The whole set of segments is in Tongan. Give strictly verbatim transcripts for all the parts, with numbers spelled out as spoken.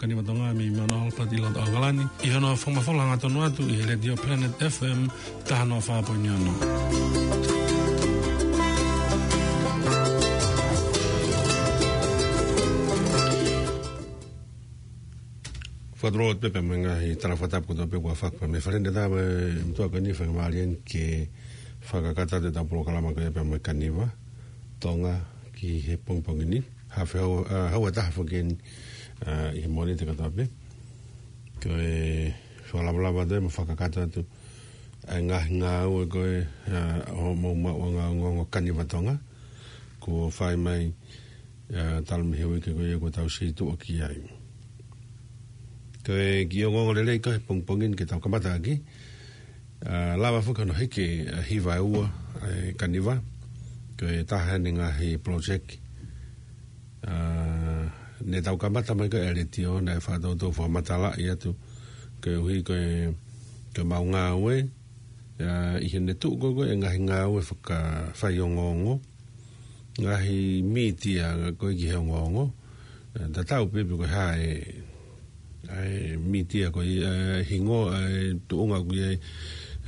Kaniva Tonga mei Mount Albert ʻi loto ʻAokalani, ʻi hono fakamafola hangatonu atu ʻi he Letiō Planet F M taha noa fā poini ono. Fakatulou atu pē mo e ngaahi tala fakatapu kotoa pē kuo fakahoko mei he Fale Neta mo e meʻa ko eni, faingamālie ke fakakakato atu ʻetau polokalama ko ia pea mo e Kaniva Tonga ki he pongipongi ni. Hafe hau, ʻa, hau ʻe taha foki eni, ʻa, ʻi he Mōnite kātoa pē. Ko e fakalavalava atu mo fakakakato atu ʻa e ngaahi ngāue ko ē, ʻa, ʻo hoʻomou maʻuʻanga ongoongo Kaniva Tonga. Kuo fai mai, ʻa, talu mei he uike ko ia kuo tau situʻa ki ai. Ko e kiʻi ongoongo lelei ko ē he pongipongi ni ke tau kamata ʻaki, ʻa, lava foki hono hiki, ʻa, hiva ʻe ua, ʻa e Kaniva, ko e taha eni e ngaahi project, ʻa, ne tau kamata mai ko ē ʻa e Letiō, naʻe fakatoutou fakamatalaʻi atu, koeʻuhi ko e, ko e mau ngāue, ʻa, ʻi heʻene tuʻu ko ē ko ē e ngaahi ngāue fakafaiongoongo, ngaahi mītia ko ē ki he ongoongo. ʻE, tatau pē pe ko e hā e, ʻa e mītia ko ē, ʻa e hingoa, ʻa e tuʻunga ko ē,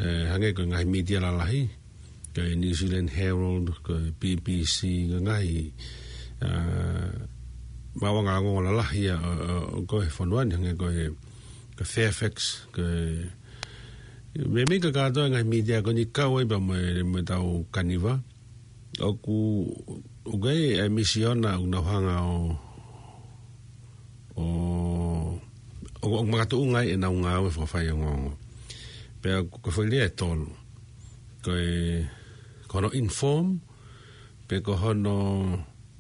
ʻe, hangē ko e ngaahi mītia lalahi, ko e New Zealand Herald, ko e B B C, ko e ngaahi, ʻa, maʻuʻanga ongoongo lalahi ʻa, ʻa, ʻa, ko ē he fonua ni, hangē ko e, ko e Fairfax, ko e, meimei kakato e ngaahi mītia ko eni kau ai pea mo e, mo ʻetau Kaniva. ʻOku, ʻoku ʻi ai e misiona ʻoku nau hanga ʻo, ʻo, ʻo, ʻo makatuʻunga ai ʻenau ngāue fakafaiongoongo. Pea ko e foʻi lea ʻe tolu. Ko e, ko hono inform, pe ko hono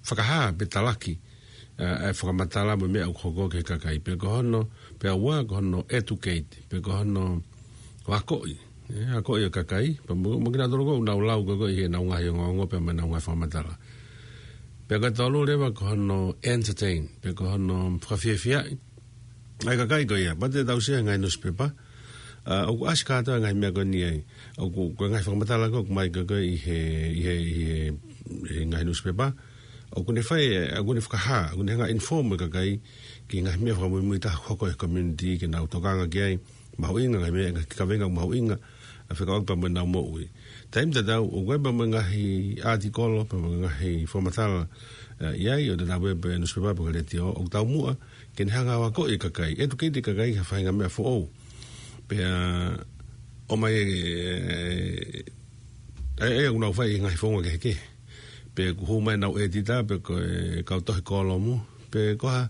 fakahā, pe talaki, ʻa, ʻa e fakamatala mo e meʻa ʻoku hoko ki he kakai. Pe ko hono, pea ua, ko hono educate, pe ko hono akoʻi. ʻE, akoʻi ʻa e kakai, pea mo, mo kinautolu ko ē ʻoku nau lau ko ē ʻi heʻenau ngaahi ongoongo, pea mo ʻenau ngaahi fakamatala. Pea ko e tolu leva ko hono entertain, pe ko hono fakafiefiaʻi ʻa e kakai ko ia, pea te tau sio he ngaahi nusipepa, ʻa, ʻoku ʻasi kātoa e ngaahi meʻa ko eni ai. ʻOku, ko e ngaahi fakamatala ko ē ʻoku ʻomai ko ē ʻi he, ʻi he, ʻi he, ʻi he ngaahi nusipepa. ʻOku ne fai, ʻoku ne fakahā, ʻoku ne hanga ʻo inform e kakai ki he ngaahi meʻa fakamuimui taha ʻoku hoko he community ke nau tokanga ki ai, mahuʻinga, ngaahi meʻa, ngaahi kavenga mahuʻinga, ʻa, fekauʻaki pea mo ʻenau moʻui. Taimi tatau, ʻoku ʻi ai pea mo e ngaahi ʻātikolo, pea mo e ngaahi fakamatala, ʻa, ʻi ai, ʻo tatau pē pe nusipepa pe ko e Letiō, ʻoku taumuʻa ke ne hanga ʻo akoʻi e kakai, educate e kakai ki ha faʻahinga meʻa foʻou. Pea ʻomai e, e, e, ʻa ia ʻoku nau fai ʻi he ngaahi founga kehekehe. Pe ʻoku hū mai ʻenau ʻētita, pe ko e kau tohi kōlomu, pe ko ha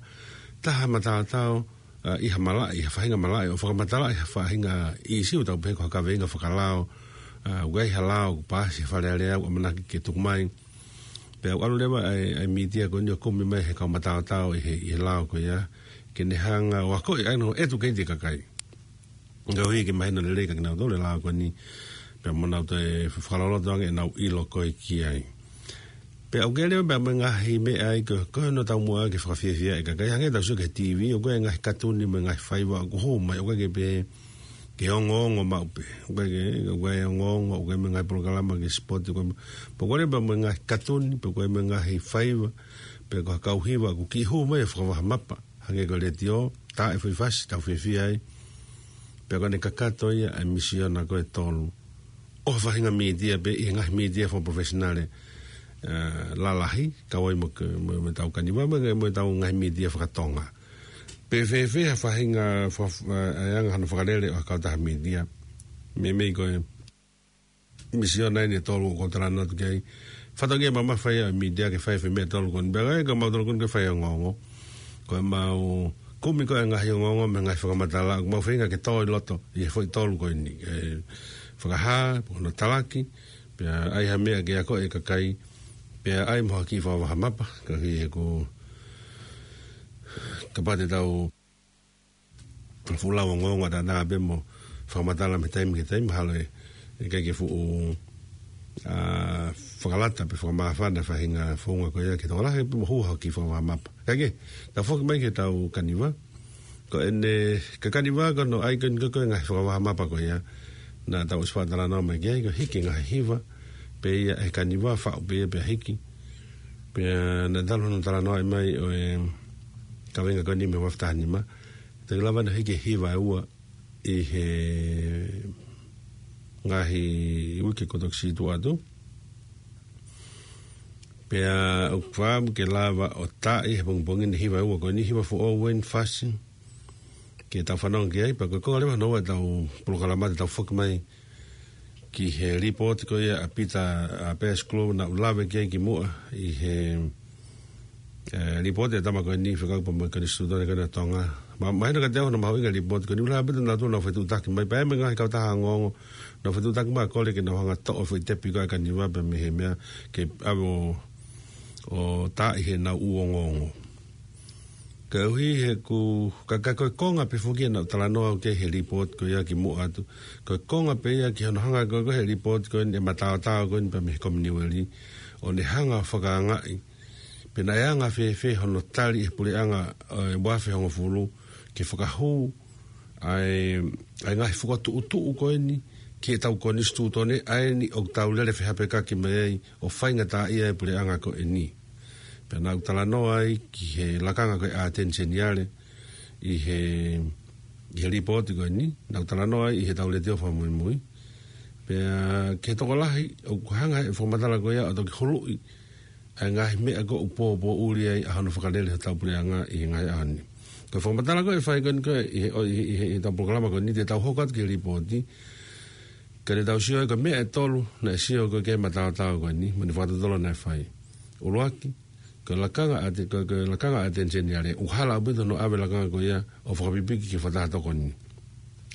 taha mataotao, ʻa, ʻi ha malaʻe, ʻi ha faʻahinga malaʻe, ʻo fakamatalaʻi ha faʻahinga ʻīsiu tau pehē ko ha kavenga fakalao, ʻa, ʻoku ʻi ai ha lao, ʻoku paasi he Fale Alea, ʻoku ʻamanaki ke tuku mai. Pea ʻoku ʻalu leva ʻa e, ʻa e mītia ko eni ʻo kumi mai he kau mataotao ʻi he, ʻi he lao ko ia, ke ne hanga ʻo akoʻi, ʻa ia ʻo educate e kakai. Koeʻuhi ke mahino lelei kia kinautolu e lao ko eni, pea mo nau toe fakaloloto ange ʻenau ʻilo ko ē ki ai. Pea ʻoku ʻi ai leva pea mo e ngaahi meʻa ia ko ē, ko hono taumuʻa ke fakafiefiaʻi e kakai, hangē tau sio ki he T V, ʻoku ʻi ai e ngaahi katuni mo e ngaahi faiva ʻoku hū mai, ʻoku ʻikai ke pehē ke ongoongo maʻu pē. ʻOku ʻikai ke, ʻoku ʻi ai e ongoongo, ʻoku ʻi ai mo e ngaahi polokalama ki he sipoti, ʻoku ʻi ai mo, pea ʻoku ʻi ai leva pea mo e ngaahi katuni, pea ʻoku ʻi ai mo e ngaahi faiva, pe ko ha kau hiva ʻoku kiʻi hū mai he fakavaha mapa. Hangē ko e Letiō, tā e foʻi fasi, tau fiefia ai. Pea ko ʻene kakato ia ʻa e misiona ko ē ʻe tolu ʻo ha faʻahinga mītia pē ʻi he ngaahi mītia fakaprofesinale, ʻa, lalahi, kau ai mo ke, mo, mo ʻetau Kaniva, mo, mo ʻetau ngaahi mītia fakatonga. Pe fēfē ha faʻahinga, fa-, ʻa, ʻa e anga hono fakalele ʻo ha kautaha mītia. Meimei ko e misiona eni ʻe tolu ʻoku ou talanoa atu ki ai. Fatongia mamafa ia ʻo e mītia ke fai e foʻi meʻa ʻe tolu ko eni. Pea ʻikai ko mautolu ko eni ke fai ongoongo. Ko ʻemau kumi ko ē e ngaahi ongoongo mo e ngaahi fakamatala, ʻoku mau feinga ke tō ʻi loto ʻi he foʻi tolu ko eni. ʻE fakahā, pe ko hono talaki, pea ʻai ha meʻa ke akoʻi e kakai, pea ʻai mo ha kiʻi fakavaha mapa, koeʻuhi he ko, kapau te tau fuʻu lau ongoongo ʻataʻatā pē mo fakamatala mei he taimi ki he taimi, mahalo ʻe, ʻe ʻikai ke fuʻu, ʻa, fakalata pe fakamāfana e faʻahinga founga ko ia ke tokolahi pē mo hū ha kiʻi fakavaha mapa. Kae kehe, tau foki mai ki heʻetau Kaniva. Ko ʻene, ko e Kaniva ko hono ʻai ko eni ko ē e ngaahi fakavaha mapa ko ia naʻa tau ʻosi faʻa talanoa mai ki ai, ko e hiki e ngaahi hiva pē ia ʻe he Kaniva, faʻu pē ia pea hiki. Pea naʻe talu hono talanoaʻi mai ʻo e kaveinga ko eni mei he ua afe taha nima. Te ke lava ʻo hiki e hiva ʻe ua ʻi he ngaahi uike kuo toki situʻa atu. Pea ʻoku ou fakaʻamu ke lava ʻo taaʻi he pongipongi ni e hiva ʻe ua ko eni, hiva foʻou eni, fasi, ke tau fanongo ki ai, pea ko e konga leva hono ua ʻetau polokalama te tau foki mai ki he lipooti ko ia ʻa Pita, ʻa Pea Sikulu naʻa ku lave ki ai kimuʻa ʻi he, ē, lipooti ʻa e tama ko eni fekauʻaki pea mo e Konisitūtone ko eni ʻa Tonga. Ma, mahino kiate au hono mahuʻinga e lipooti ko eni, ʻuhinga ʻaupito naʻa nau tuʻu ʻo nau fetuʻutaki mai, pea mo e ngaahi kautaha ongoongo, nau fetuʻutaki mai ʻo kole ke nau hanga ʻo toʻo e foʻi tepi ko ē ʻa e kaniva pea mei he meʻa ke ʻave ʻo, ʻo taaʻi heʻenau ʻū ongoongo. Koeʻuhi he ʻoku, ka, ka ko e konga pē foki ia naʻa ku talanoa au ki ai he lipooti ko ia kimuʻa atu. Ko e konga pē ia ki hono hanga ko ē ʻe he lipooti ko eni ʻo mataotao ko eni pea mei he Kominiueli, ʻo ne hanga ʻo fakaangaʻi pe naʻe anga fēfē hono tali ʻe he puleʻanga ʻo e ua afe hongofulu ke fakahū ʻa e, ʻa e ngaahi fokotuʻutuʻu ko eni ki heʻetau Konisitūtone, ʻa eni ʻoku tau lele fehāpekaki mai ai ʻo faingataʻaʻia e puleʻanga ko eni. Pea naʻa ku talanoa ai ki he lakanga ko ē ʻa e ʻAteni Seniale ʻi he, ʻi he lipooti ko eni, naʻa ku talanoa ai ʻi heʻetau letiō fakamuimui. Pea ki he tokolahi, ʻoku hanga ʻe he fakamatala ko ia ʻo toki huluʻi ʻa e ngaahi meʻa ko ē ʻoku pōpōʻuli ai ʻa hono fakalele hotau puleʻanga ʻi he ngaahi ʻaho ni. Ko e fakamatala ko ē ʻe fai ko eni ko ē ʻi he, ʻo, ʻi he, ʻi he, ʻi heʻetau polokalama ko eni te tau hoko atu ki he lipooti, ka te tau sio ai ko e meʻa ʻe tolu naʻe sio ko ē ki ai e mataotao ko eni, mo e fakatotolo naʻe fai. ʻUluaki, ko e lakanga ʻa e ʻAte-, ko e, ko e lakanga ʻa e ʻAteni Seniale, ʻoku hala ʻaupito hono ʻave e lakanga ko ia ʻo fakapipiki ki he fakataha tokoni.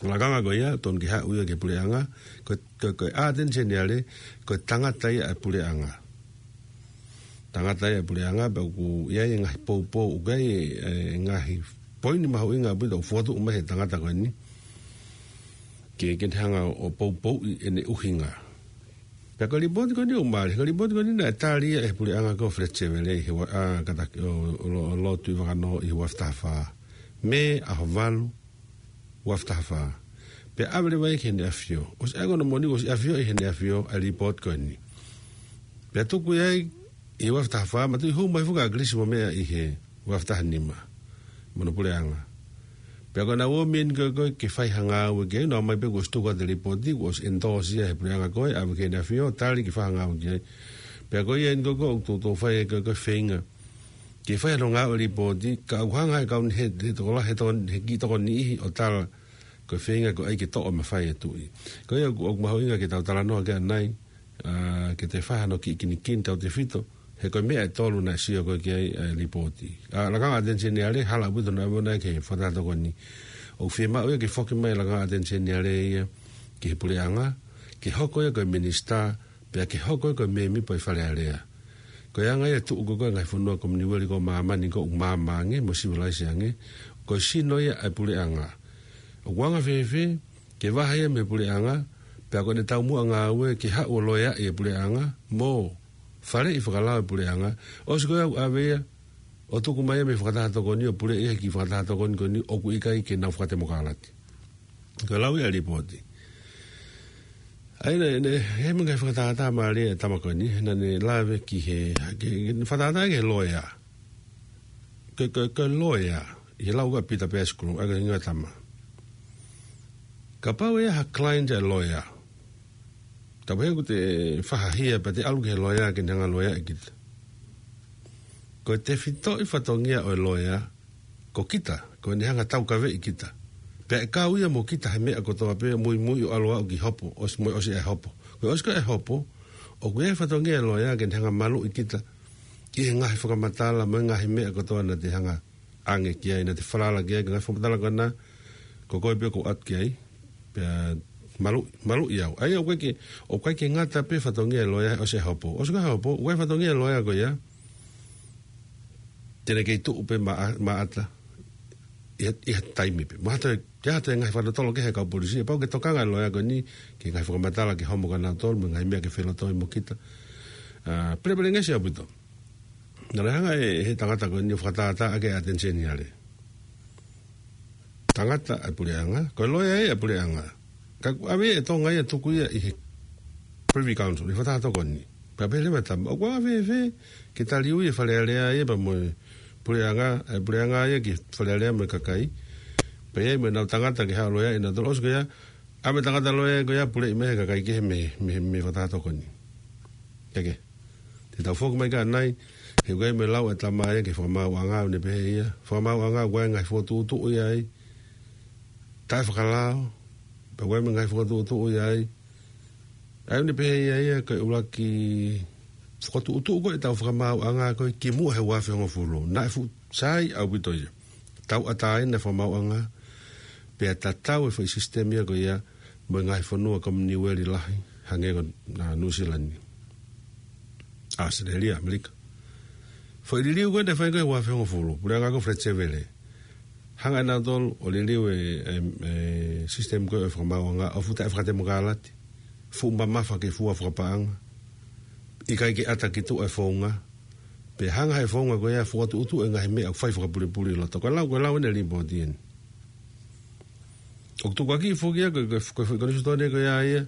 Lakanga ko ia, tonu ke haʻu ia ki he puleʻanga, ko e, ko e, ko e ʻAteni Seniale, ko e tangata ia ʻa e puleʻanga. Tangata ia ʻa e puleʻanga, pea ʻoku ʻi ai e ngaahi poupou, ʻoku ʻi ai e, e ngaahi poini mahuʻinga ʻaupito ʻoku fokotuʻu mai ʻe he tangata ko eni ke, ke ne hanga ʻo poupouʻi ʻene ʻuhinga. Pea ko e lipooti ko eni ʻoku mālie, ko e lipooti ko eni naʻe tali ia ʻe he puleʻanga ko Fred Sevele ʻi he ua, ʻa, kātaki ʻo, ʻo, ʻo, ʻo Lord Tuʻivakanō ʻi he ua afe taha fā. Mē ʻaho valu, ua afe taha fā. Pea ʻave leva ia ki heʻene ʻAfio. ʻOsi ʻa e ko ē moʻoni, ʻosi ʻafioʻi ʻe heʻene ʻAfio ʻa e lipooti ko eni. Pea tuku ia ai ʻi he ua afe taha fā, mo e tuʻu mai foki ʻa Kilisi mo e meʻa ʻi he ua afe taha nima mo hono puleʻanga. Pea ko ʻenau ō mai eni ko ē, ko ē ke fai ha ngāue ki ai, nau ō mai pē kuo ʻosi tuku atu e lipooti, kuo ʻosi endorse ia ʻe he puleʻanga ko ē, ʻave ki heʻene ʻAfio, tali ke fai ha ngāue ki ai. Pea ko ia eni ko ē, ko ē ʻoku toutou fai ko ē, ko ē feinga ke fai hano ngāue e lipooti, ka ʻoku hanga ʻe he kau ni, he, he tokolahi, he tokon-, he kiʻi tokoni niʻihi ʻo tala ko e feinga ko ē ʻai ke toʻo e mafai ʻa e tuʻi. Ko ia ʻoku, ʻoku mahuʻinga ke tau talanoa ki ai ʻanai, ʻa, ke toe fai hano kiʻi kinikini tautefito, he ko e meʻa ʻe tolu naʻe sio ko ē ki ai e lipooti. ʻA, lakanga ʻa e ʻAteni Seniale, hala ʻaupito hono ʻave ʻona ia ki he fakataha tokoni. ʻOku fiemaʻu ia ke foki mai e lakanga ʻa e ʻAteni Seniale ia ki he puleʻanga, ke hoko ia ko e minisitā, pea ke hoko ia ko e mēmipa ʻo e Fale Alea. Ko e anga ia e tuʻu ko ē ʻa e ngaahi fonua Kominiueli ko ē ʻo māmani ko ē ʻoku maama ange mo sivilaise ange, ko e sino ia ʻa e puleʻanga. ʻOku anga fēfē ke vahe ia mei he puleʻanga, pea ko ʻene taumuʻa ngāue ke haʻu ʻo loeaʻi e puleʻanga, mo faleʻi fakalao e puleʻanga, ʻosi ko ia ʻoku ʻave ia ʻo tuku mai ia mei he fakataha tokoni ʻo puleʻi ia he kiʻi fakataha tokoni ko eni ʻoku ʻikai ke nau fakatemokalati. Ko e lau ia ʻa e lipooti. ʻA ia naʻe, naʻe, he meʻa ngaahi fakatātā mālie ʻa e tama ko eni, he naʻa ne lave ki he, ke, ke fakatātā ki he loea. Ko e, ko e, ko e loea, ʻi he lau ko ē ʻa Pita Peasikulu, ʻa ia ko e hingoa e tama. Kapau ʻe ʻi ai ha client ʻa e loea, kapau he ʻoku te fakahia pea te ʻalu ki he loea ke ne hanga ʻo loeaʻi kita. Ko e tefitoʻi fatongia ʻo e loea, ko kita, ko ʻene hanga ʻo taukaveʻi kita. Pea ʻe kau ia mo kita he meʻa kotoa pē, muimui ʻo ʻalu ʻo aʻu ki hopo, ʻosi mo e ʻosi e hopo. Ko e ʻosi ko ē e hopo, ʻoku ʻi ai e fatongia e loea ke ne hanga ʻo maluʻi kita ʻi he ngaahi fakamatala mo e ngaahi meʻa kotoa naʻa te hanga ʻo ʻange ki ai, naʻa te falala ki ai, ko e ngaahi fakamatala ko ena, ko koe pē ʻoku ʻatu ki ai, pea maluʻi, maluʻi au. ʻA ia ʻoku ʻikai ke, ʻoku ʻikai ke ngata pē fatongia e loea ʻosi e hopo. ʻOsi ko ē e hopo, ʻoku ʻi ai fatongia e loea ko ia te ne kei tuʻu pē maʻa-, maʻata ʻi ha, ʻi ha taimi pē. Mo ha toe, te ha toe ngaahi fakatotolo ki he kau polisi, ʻe pau ke tokanga e loea ko eni ki he ngaahi fakamatala ke homo kia nautolu, mo e ngaahi meʻa ke felotoi mo kita. ʻA, pelepelengesi ʻaupito. Naʻe hanga ʻe he tangata ko eni ʻo fakatātā ʻaki e ʻAteni Seniale. Tangata ʻa e puleʻanga, ko e loea ia ʻa e puleʻanga. Ka ʻoku ʻave ʻe Tonga ia ʻo tuku ia ʻi he Privy Council, ʻi he fakataha tokoni. Pea pehē leva e tama, ʻoku anga fēfē ke taliui e Fale Alea ia pea mo e puleʻanga, ʻa e puleʻanga ia ki Fale Alea mo e kakai. Pea ʻi ai mo ʻenau tangata ke haʻu ʻo loea ʻi nautolu ʻosi ko ia, ʻa e tangata loea ko ia puleʻi mei he kakai kehe mei, mei, mei he fakataha tokoni. Ke ke. Te tau foki mai ki ai, he ʻoku ʻi ai mo e lau ʻa e tama ia ki he fakamaauʻanga, ʻoku ne pehē ia. Fakamaauʻanga ʻoku ʻi ai e ngaahi fokotuʻutuʻu ia ai. Taʻefakalao, pea ʻoku ʻi ai mo e ngaahi fokotuʻutuʻu ia ai. ʻA ia ʻoku ne pehē ia ia ko e ʻuluaki fokotuʻutuʻu ko ē ʻetau fakamaauʻanga ko ē kimuʻa he ua afe hongofulu. Naʻe fuʻu sai ʻaupito ia. Tauʻatāina e fakamaauʻanga, pea tatau e foʻi sisitemi ia ko ia, mo e ngaahi fonua Kominiueli lahi, hangē ko, ā, Nuʻusila ni. ʻAositelēlia, ʻAmelika. Foʻi liliu ko ē naʻe fai ko ē ua afe hongofulu, puleʻanga ko Fred Sevele. Hanga ʻe nautolu ʻo liliu e, e, e sisitemi ko ē ʻo e fakamaauʻanga, ʻoku fuʻu taʻefakatemokalati, fuʻu mamafa ke fua fakapaʻanga, ʻikai ke ʻata ki tuʻa e founga, pea hanga ʻe he founga ko ia ʻo fokotuʻutuʻu e ngaahi meʻa ʻoku fai fakapulipuli ʻi loto. Ko e lau, ko e lau ʻeni e lipooti ʻeni. ʻOku tukuakiʻi foki ia ko e, ko e, ko e foʻi konisitūtone ko ia ia,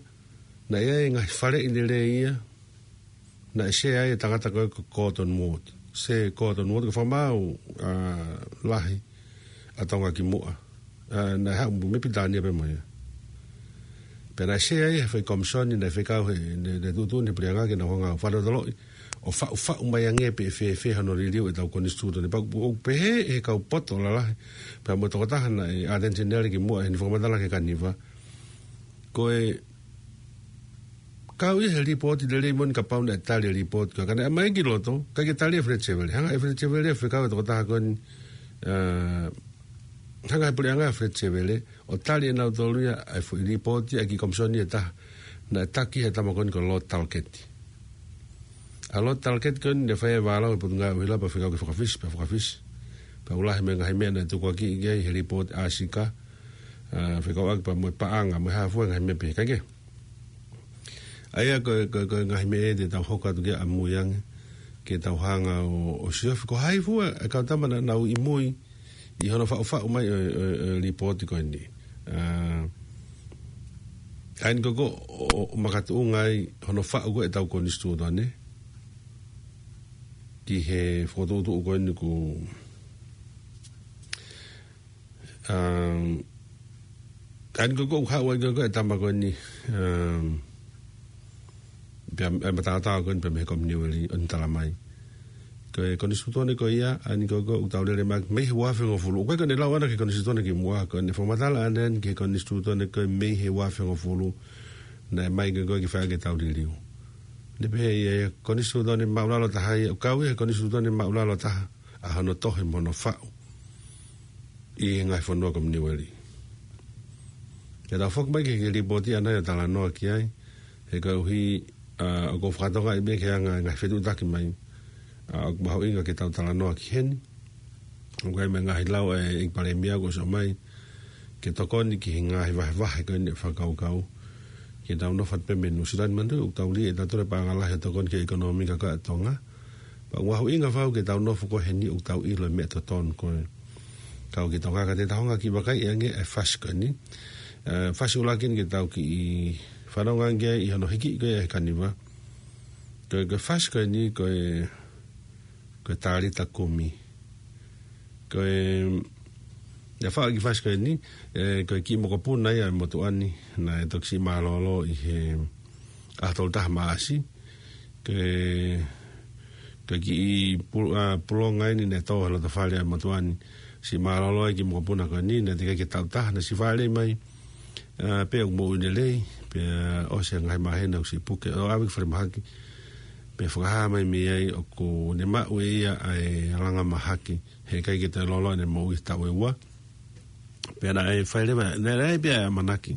naʻe ʻi ai e ngaahi faleʻi lelei ia, naʻe sea ai e tangata ko ē ko Gordon Ward. Sir Gordon Ward ko e fakamaau, ā, lahi ʻa Tonga kimuʻa. Ā, naʻe haʻu mei Pilitānia pē mo ia. Pea naʻe sea ai he foʻi komisoni naʻe fekau he, ne, ne tuʻutuʻuni he puleʻanga ke nau hanga ʻo fakalotoloʻi ʻo faʻufaʻu mai ange pe ʻe fēfē hono liliu ʻetau konisitūtone. Pea ʻoku pehē ʻe he kau poto lalahi, pea mo e tokotaha naʻe ʻAteni Senitale kimuʻa ʻi heʻene fakamatala ki he Kaniva, ko e kau ia he lipooti lelei moʻoni kapau naʻe tali e lipooti ko ia. Ka naʻe ʻomai ki loto, ʻikai ke tali ʻe Fred Sevele. Hanga ʻe Fred Sevele ʻo fekau e tokotaha ko eni, ā, hanga ʻe he puleʻanga ʻo Fred Sevele ʻo tali ʻe nautolu ia ʻa e foʻi lipooti ʻa e kiʻi komisoni ʻe taha naʻe taki ʻe he tama ko eni ko Lord Talcott. ʻA Lord Talcott ko eni naʻe fai e vālau ʻi he Potungāue ʻUhila pea fekau ke fakafisi, pea fakafisi. Pea ʻoku lahi mo e ngaahi meʻa naʻe tukuakiʻi ki ai he lipooti ʻa Sika, ā, fekauʻaki pea mo e paʻanga, mo e hā fua e ngaahi meʻa pehē, kae kehe. ʻA ia ko e, ko e, ko e ngaahi meʻa ʻe te tau hoko atu ki ai ʻamui ange, ke tau hanga ʻo, ʻo siofi ko hai fua e kau tama naʻa nau ʻi mui ʻi hono faʻufaʻu mai ʻo, ʻo, ʻo e lipooti ko eni. Ā, ʻa eni ko ē ʻoku, ʻo, ʻo makatuʻunga ai hono faʻu ko ē ʻetau konisitūtone ki he fokotuʻutuʻu ko eni ʻoku, um, ʻa eni ko ē ʻoku haʻu ai ko ē e tama ko eni, um, pea, e mataotao ko eni pea mei he Kominiueli ʻo ne talamai. Ko e konisitūtone ko ia, ʻa eni ko ē ʻoku tau lele mai mei he ua afe hongofulu. ʻOku ʻikai ko ʻene lau ʻana ki he konisitūtone kimuʻa, ko ʻene fakamatala ʻana eni ki he konisitūtone ko ē mei he ua afe hongofulu. Naʻe ʻomai ko ē ke fai ʻaki ʻetau liliu. Ne pehē ia, ia konisitūtone māʻulalo taha ia, ʻoku kau ia he konisitūtone māʻulalo taha, ʻa hono tohi mo hono faʻu ʻi he ngaahi fonua Kominiueli. Ke tau foki mai ki he, ki he lipooti ʻana ia ʻo talanoa ki ai, he koeʻuhi, ā, ʻoku ou fakatokangaʻi pē ki he anga e ngaahi fetuʻutaki mai, ā, ʻoku mahuʻinga ke tau talanoa ki heni. ʻOku ʻi ai mo e ngaahi lau ʻa e ʻEiki Palēmia kuo ʻosi ʻomai ke tokoni ki he ngaahi vahevahe ko eni ʻo e fakakaukau. Ke tau nofo atu pē mei Nuʻusila ni, manatuʻi ʻoku tau lī ʻe tautolu e paʻanga lahi ʻo tokoni ki he ʻekonōmika ko ē ʻa Tonga. Pea ʻoku mahuʻinga fau ke tau nofo ko eni ʻoku tau ʻilo e meʻa totonu ko ē. Kau ki Tonga ka te tau hanga ʻo kiʻi vakaiʻi ange e fasi ko eni. Ā, fasi ʻuluaki eni ke tau kiʻi fanongo ange ʻi hono hiki ko ē ʻe he Kaniva. Ko e, ko e fasi ko eni ko e, ko e Talita Kumi. Ko e, ʻa e faʻu e kiʻi fasi ko eni, ē, ko e kiʻi mokopuna ia ʻa e motuʻa ni, naʻe toki siʻi mālōlō ʻi he ʻaho tolu taha Maʻasi. Ko e, ko e kiʻi pu-, ā, pulonga eni naʻe tō he loto fale ʻa e motuʻa ni. Siʻi mālōlō e kiʻi mokopuna ko eni, naʻe teʻeki ai ke taʻu taha, naʻe siʻi fāʻeleʻi mai. Ā, pea ʻoku moʻui lelei, pea ʻosi e ngaahi māhina ʻoku siʻi puke, ʻo ʻave ki falemahaki. Pea fakahā mai mei ai ʻoku ne maʻu ʻe ia ʻa e langa mahaki, he ʻikai ke toe lōloa ʻene moʻui he taʻu ʻe ua. Pea naʻe fai leva, naʻe, naʻe pea ʻamanaki.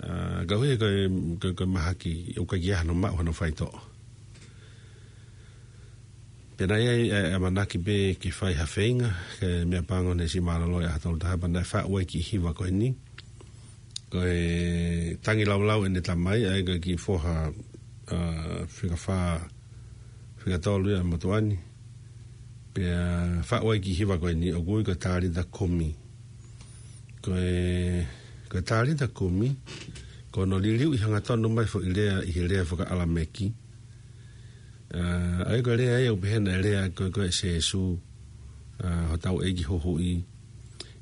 Ā, koeʻuhi ko e, ko e, ko e mahaki, ʻoku ʻikai ke ʻi ai hano maʻu hano faitoʻo. Pea naʻe ʻi ai e, e ʻamanaki pē ke fai ha feinga, ke meʻapango naʻe siʻi mālōlō e ʻaho tolu taha pea naʻe faʻu ai e kiʻi hiva ko eni. Ko e tangilaulau ʻene tamai, ʻa ia ko e kiʻi foha, ā, fika fā, fika tolu ia ʻa e motuʻa ni. Pea faʻu ai e kiʻi hiva ko eni, ʻoku ui ko e Talita Kumi. Ko e, ko e Talita Kumi, ko hono liliu ʻi he hangatonu mai e foʻi lea ʻi he lea faka-ʻAlameki. Ā, ʻa ia ko e lea ia ʻoku pehē naʻe lea ko ē, ko ē ʻe Sēsū. ʻa hotau ʻEiki Huhuʻi,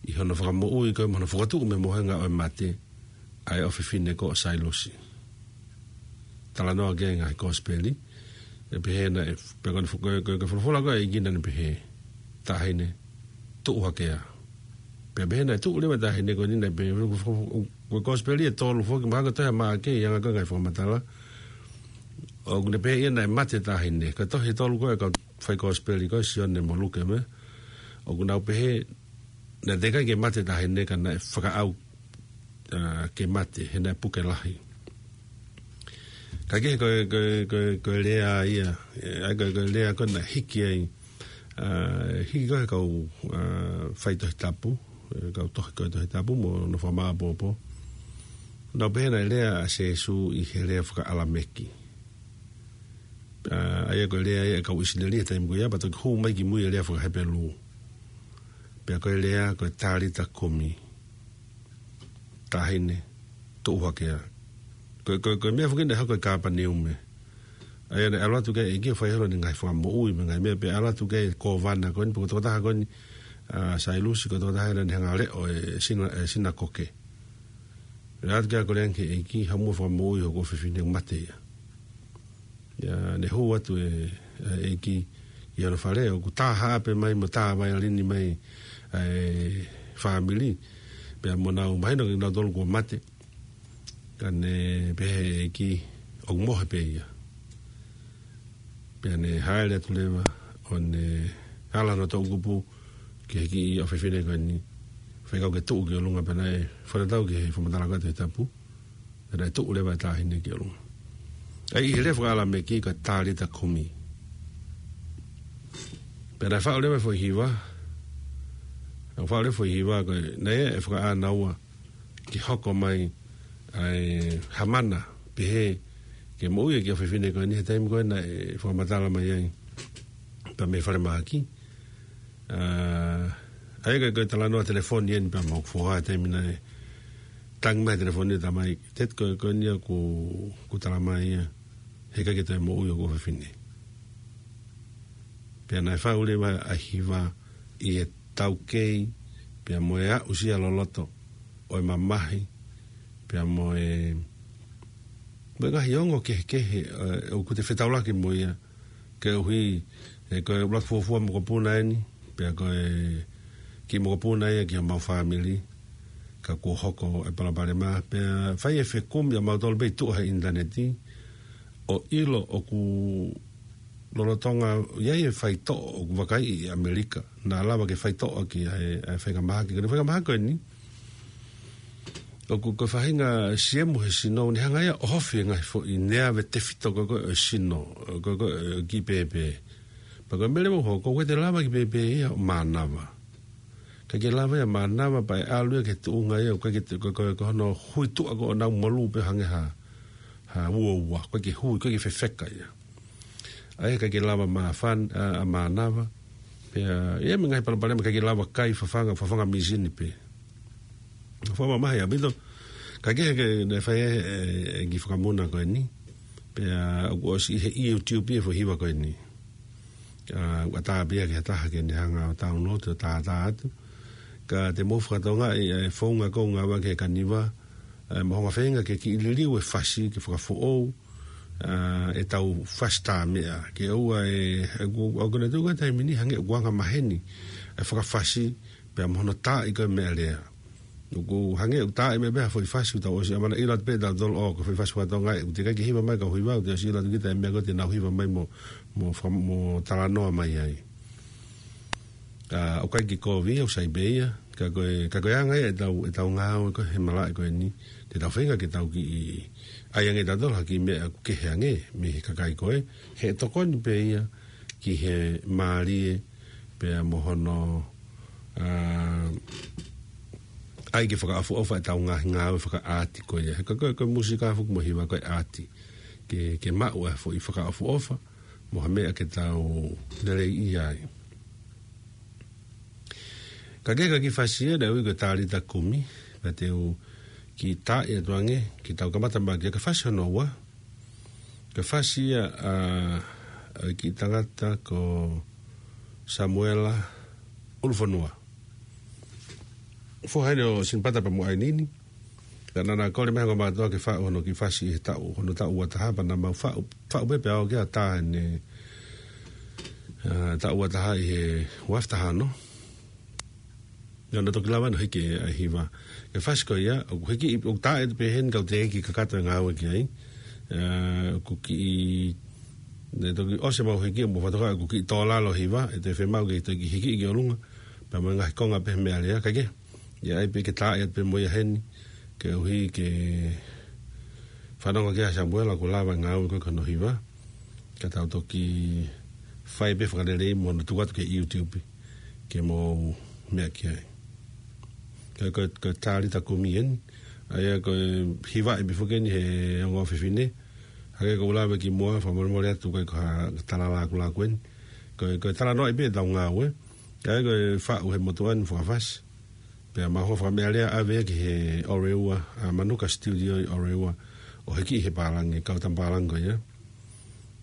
ʻi hono fakamoʻui ko ē mo hono fokotuʻu mei he mohenga ʻo e mate ʻa e ʻofefine ko Sailusi. Talanoa ki ai e ngaahi kosipeli, ʻe pehē naʻe, pea ko eni fo-, ko e, ko e, ko e folofola ko ē ʻa e ʻEiki naʻa ne pehē, Taʻahine, tuʻu hake ā. Pea pehē naʻe tuʻu leva e taʻahine ko eni, naʻe pehē, ko e kosipeli ʻe tolu foki, mahalo ko e tohi ʻa Maʻake, ʻi he anga ko ē e ngaahi fakamatala. ʻOku ne pehē ia naʻe mate e taʻahine. Ko e tohi ʻe tolu ko ē ʻa e kau faikosipeli ko ē, Sione mo Luke mo e. ʻOku nau pehē naʻe teʻeki ai ke mate e taʻahine ka naʻe fakaʻau, ā, ke mate, he naʻe puke lahi. Ka ko e, ko e, ko e, ko e, ko e lea ia, ē, ʻa ia ko e, ko e lea ko ē naʻe hiki ai, ā, hiki ko ē he kau, ā, faitohi tapu, ē, kau tohi ko ē Tohi Tapu mo hono fakamāʻopoʻopo. Nau pehē naʻe lea ʻa Sīsū ʻi he lea faka-ʻAlameki. Ā, ʻa ia ko e lea ia ʻa e kau ʻIsileli he taimi ko ia, pea toki hū mai ki mui e lea faka-Hepelū. Pea ko e lea ko e Talita kumi. Taʻahine, tuʻu hake ā. Ko e, ko e, ko e meʻa foki naʻe hoko ʻi Kāpaneume. ʻA ia naʻe ʻalu atu ki ai e ʻEiki ʻo fai holo ʻene ngaahi fakamoʻui mo e ngaahi meʻa, pea ʻalu atu ki ai e kōvana ko eni, pe ko e tokotaha ko eni, ā, Sailusi, ko e tokotaha ia naʻa ne hanga ʻo leʻo e sina-, e sinakoke. Lea atu ki ai ko e lea ange ki he ʻEiki, haʻu muʻa ʻo fakamoʻui hoku ʻofefine, ʻoku mate ia. Ia, ne hū atu e, e ʻEiki ʻi hono fale, ʻoku tā haʻape mai mo tā vaiolini mai e fāmili. Pea mo nau mahino kinautolu kuo mate. Ka ne pehē e ʻEiki, ʻoku mohe pē ia. Pea ne hāʻele atu leva, ʻo ne ala hono toʻukupu ki he kiʻi ʻofefine ko eni. Fekau ke tuʻu ki ʻolunga, pea naʻe fakatatau ki he fakamatala ko ē Tohi Tapu. Pea naʻe tuʻu leva e taʻahine ki ʻolunga. ʻA ia ʻi he lea faka-ʻAlameki ko e Talita kumi. Pea naʻe faʻu leva e foʻi hiva. Naʻe faʻu leva e foʻi hiva ko ē, naʻe ʻi ai e fakaʻānaua ke hoko mai ʻa e ha mana, pehē ke moʻui e kiʻi ʻofefine ko eni he taimi ko ē naʻe fakamatala mai ai. Pea mei falemahaki. Ā, ʻa ia ko e, ko e talanoa telefoni eni pea mo hoku foha he taimi naʻe tangi mai he telefoni, talamai, Tet, ko e, ko eni ia ʻoku, ʻoku talamai ia he ʻikai ke toe moʻui hoku ʻofefine. Pea naʻe faʻu leva ʻa e hiva ʻi he taukei, pea mo e aʻusia loloto ʻo e mamahi, pea mo e, mo e ngaahi ongo kehekehe, ē, ʻoku te fetaulaki mo ia, koeʻuhi, ē, ko e ʻuluaki fuofua mokopuna eni, pea ko e kiʻi mokopuna ia ki homau fāmili, ka kuo hoko e palopalema, pea fai e fekumi ʻa mautolu pē ʻi tuʻa he ʻinitaneti, ʻo ʻilo ʻoku lolotonga ʻi ai e faitoʻo ʻoku vakaiʻi ʻi ʻAmelika, naʻa lava ke faitoʻo ʻaki ʻa e, ʻa e faingamāhaki, ko e faingamāhaki ko eni, ʻoku ko e faʻahinga siemu he sino, ne hanga ia ʻo ʻohofi e ngaahi foʻi neave tefito ko ē ʻo e sino, ko ē ʻo e kiʻi pēpē. Pea ko e meʻa leva ʻoku hoko, ʻoku ʻikai te lava e kiʻi pēpē ia ʻo mānava. ʻIkai ke lava ia ʻo mānava pea ʻe ʻalu ia ki he tuʻunga ia, ʻoku ʻikai ke te, ko, ko, ko hono hui tuʻa ko ē ʻo nau molū pē hangē ha, ha uaua, ʻoku ʻikai ke hui, ʻoku ʻikai ke fefeka ia. ʻA ia ʻikai ke lava māfan-, ā, ʻo mānava. Pea, ʻi ai mo e ngaahi palopalema, ʻikai ke lava kai, fafanga, fafanga mīsini pē. Fakamamahi ʻaupito. Ka ko e, ko e, naʻe fai e, e, e kiʻi fakamuna ko eni. Pea, ʻoku ʻosi ʻi he YouTube e foʻi hiva ko eni. Ā, ʻoku ʻatā pē ia ki ha taha ke ne hanga ʻo download ʻo tātā atu. Ka te mou fakatokangaʻi e founga ko ē ʻoku ngāueʻaki he kaniva, ē, mo hono feinga ke kiʻi liliu e fasi, ke fakafoʻou, ā, ʻetau fasi tā meʻa. Ke ʻoua ʻe, ʻe, ʻoku, ʻoku ne tuku e taimi ni hangē ʻoku anga maheni e fakafasi, pea mo hono taaʻi ko ē meʻalea. ʻOku hangē ʻoku taaʻi mai pē ha foʻi fasi ʻoku tau ʻosi ʻamanaki ʻilo atu pē ʻe tautolu ʻoku foʻi fasi faka-Tonga ē, ʻoku teʻeki ai ke hiva mai e kau hiva, ʻoku te ʻosi ʻilo atu kita e meʻa ko ē te nau hiva mai mo, mo fa-, mo talanoa mai ai. Ā, ʻoku ʻikai ke kovi, ʻoku sai pē ia, ka ko e, ka ko e anga ia ʻetau, ʻetau ngāue ko ē he malaʻe ko eni, te tau feinga ke tau kiʻi ʻai ange ʻe tautolu ha kiʻi meʻa ʻoku kehe ange mei he kakai ko ē, he ʻe tokoni pē ia ki he mālie, pea mo hono, ā, ʻai ke fakaʻofoʻofa ʻetau ngaahi ngāue fakaʻaati ko ia. He ko e, ko e, ko e mūsika foki mo e hiva ko e ʻaati. Ke, ke maʻu e foʻi fakaʻofoʻofa, mo ha meʻa ke tau lelei ai. Ka ko e kiʻi fasi ia naʻe ui ko e Talita Kumi, pea te u kiʻi taaʻi atu ange, ke tau kamata mai ki he fasi hono ua. Ko e fasi ia ʻa, ʻa e kiʻi tangata ko Samuela ʻUlufonua. Foha eni ʻo Sinipata pea mo ʻAinini. Pea naʻa na kole mai ʻa e ongo mātuʻa ke faʻu hono kiʻi fasi ʻi he taʻu, hono taʻu ua taha pea naʻa mau faʻu, faʻu pē pea ʻalu ki he tā ʻene, ā, taʻu ua taha ʻi he ua afe taha ono. Naʻa na toki lava ʻo hiki ʻa e hiva. Ko e fasi ko ia, ʻoku hiki, ʻoku tā ʻe pē heni kau teʻeki kakato e ngāue ki ai. Ā, ʻoku kiʻi, naʻe toki ʻosi ʻemau hiki, ʻo mo fatoka, ʻoku kiʻi tō lalo hiva, ʻe toe fiemaʻu ke toki hiki ki ʻolunga. Pea mo e ngaahi konga pē meʻa lea, kae kehe. ʻE ʻai pē ke tā ʻe pē mo ia heni, koeʻuhi ke fanongo ki ai ʻa Samuela ʻoku lava e ngāue ko ē ki hono hiva. Ka tau toki fai pē fakalelei mo hono tuku atu ki he YouTube, ke mou meʻa ki ai. Ka ko, ko e talita kumi eni, ʻa ia ko e hiva ʻe pē foki eni he ongo fefine, hangē ko ʻeku lave ki muʻa, fakamolemole atu ko e ko ha tala lākulāku eni. Ko, ko e talanoa ʻi pē ʻetau ngāue, ʻa ia ko e faʻu he motuʻa ni fakafasi. Pea mau hoko fakameʻalea ʻave ki he Oreua, ā, Manuka Studio ʻi Oreua, ʻo hiki he pālangi, kau tama pālangi ko ia.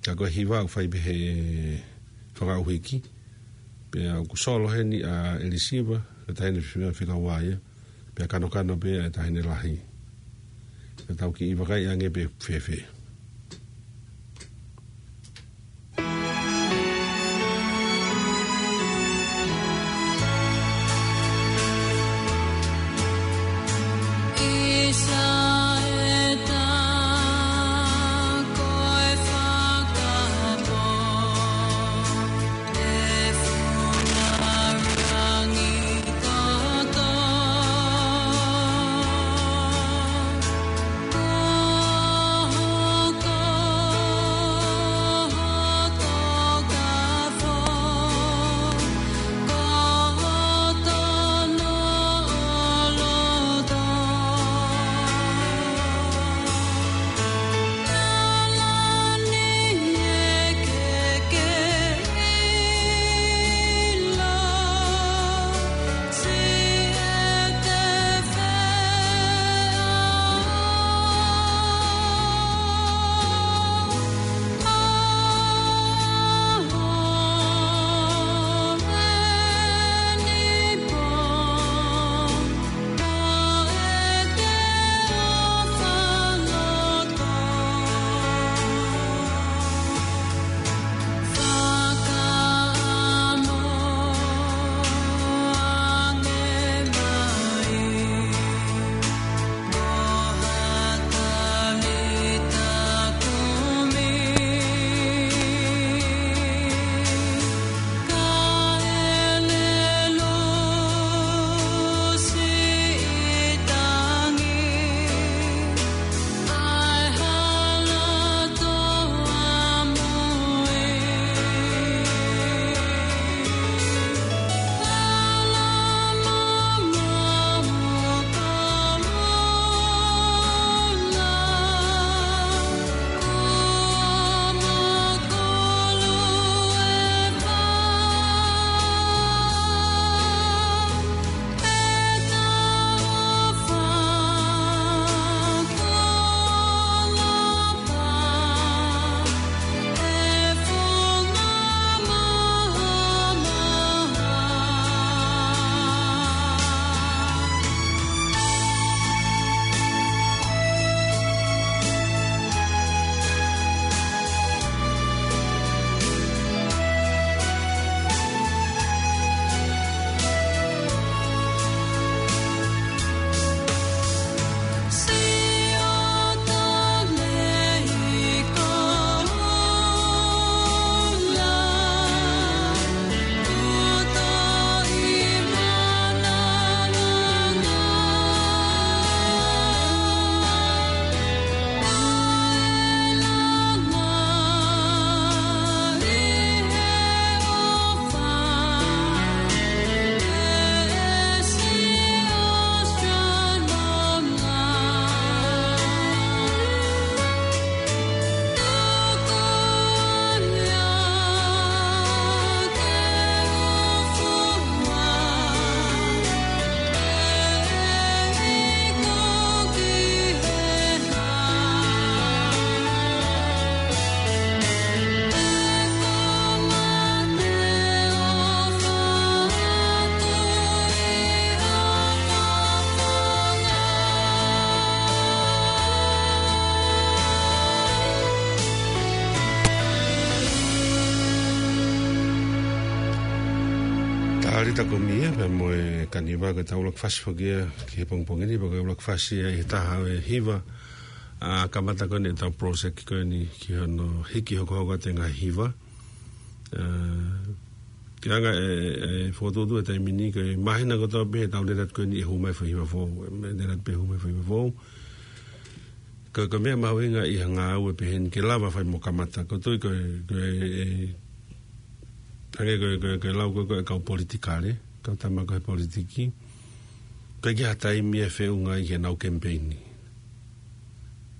Ka ko e hiva ʻoku fai pē he fakaʻuhiki. Pea ʻoku solo heni ʻa ʻElisiva, ko e taʻahine fika, fika ua ia. Pea kanokano pē ʻa e taʻahine lahi. Ka tau kiʻi vakai ange pē fēfē. Rita Komia, pea mo e kaniva ko ʻetau ʻuluaki fasi foki ia ki he pongipongi ni, pea ko e ʻuluaki fasi ia ʻi he taha ʻo e hiva, ʻa, kamata ko eni ʻetau project ko eni ki hono hiki hokohoko atu e ngaahi hiva. ʻA, ke anga e, e fokotuʻutuʻu e taimi ni, ko e māhina kotoa pē he taʻu lele atu ko eni ʻe hū mai foʻi hiva foʻou, ʻe lele atu pē hū mai foʻi hiva foʻou. Ko, ko e meʻa mahuʻinga ʻi he ngāue pehē ni ke lava fai mo kamata. Ko e tui ko e, ko e, e, hangē ko e, ko e, ko e lau ko e, ko e kau politikale, kau tama ko e politiki. ʻOku ʻikai ke ʻi ai ha taimi ʻe feʻunga ai ke nau kemipeini.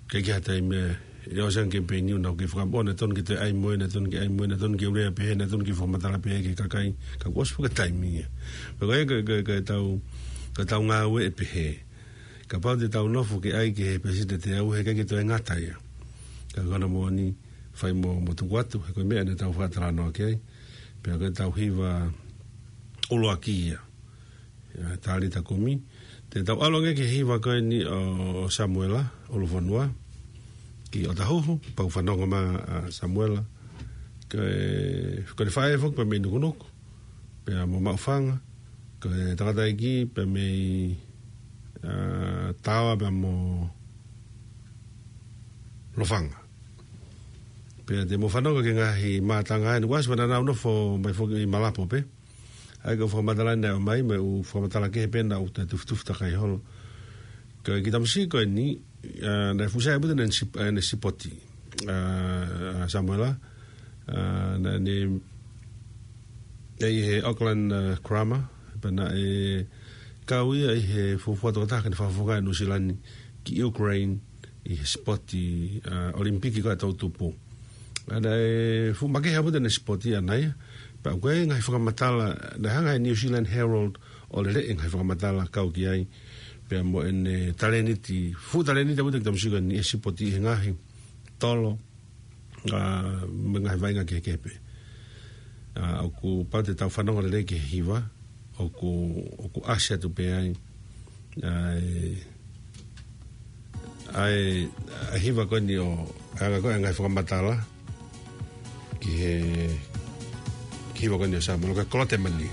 ʻOku ʻikai ke ʻi ai ha taimi ʻe, ʻe ʻosi ange kemipeini ʻo nau kei fakamoʻoni, naʻe tonu ke toe ʻai mo e, naʻe tonu ke ʻai mo e, naʻe tonu ke lea pehē, naʻe tonu ke fakamatala pehē ki he kakai, ka kuo ʻosi pē ko e taimi ia. Pea ko e, ko e, ko e, ko ʻetau, ko ʻetau ngāue ʻe pehē. Kapau te tau nofo ke ʻai ki he palesiteni teau, heʻikai ke toe ngata ia. Ka ko hono moʻoni, fai mo, mo tuku atu, he ko e meʻa naʻa tau fakatalanoa ki ai. Pea ko ʻetau hiva ʻuluaki ia. ʻA, Talita Kumi. Te tau ʻalu ange ki he hiva ko eni ʻo, ʻo Samuela ʻUlufonua, ki ʻOtahuhu, pea u fanongo mai, ʻa, Samuela. Ko e, ko ʻene faʻē foki pea mei Nukunuku, pea mo Maʻufanga, ko e tangataʻeiki pea mei, ʻa, Taoa pea mo Lofanga. Pea te mou fanongo ki he ngaahi mātanga ʻa eni, ʻoku ʻasi pē naʻa nau nofo mai foki ʻi Malapo pē. ʻA ia ko e fakamatala naʻe ʻomai, mo e ʻū fakamatala kehe pē naʻa ku toe tufitufi takai holo. Ko e kiʻi tamasiʻi ko eni, ʻa, naʻe fuʻu sai ʻaupito ʻene sip-, ʻene sipoti, ʻa, ʻa Samuela, ʻa, naʻá ne ʻi he Auckland, ʻa, Grammar, pea naʻe kau ia ʻi he fuofua tokotaha ke ne fakafofongaʻi ʻa Nuʻu Sila ni ki Ukraine ʻi he sipoti, ʻa, ʻOlimipiki ko ē ʻa e toʻutupu. ʻA, naʻe fuʻu makehe ʻaupito ʻene sipoti ʻaʻana ia, pea ʻoku ʻi ai e ngaahi fakamatala, naʻe hanga ʻe he New Zealand Herald ʻo lele e ngaahi fakamatala kau ki ai, pea mo ʻene talēniti, fuʻu talēniti ʻaupito e kiʻi tamasiʻi ko eni ʻi he sipoti ʻi he ngaahi tolo, ʻa, mo e ngaahi vaʻinga kehekehe pē. ʻA, ʻoku pau te tau fanongo lelei ki he hiva, ʻoku, ʻoku ʻasi atu pē ai, ʻa, e, ʻa e, ʻa e hiva ko eni ʻo, ʻa e anga ko ē e ngaahi fakamatala, ki he, ki he hiva ko eni ʻo Samuela, ko e Kolotemani.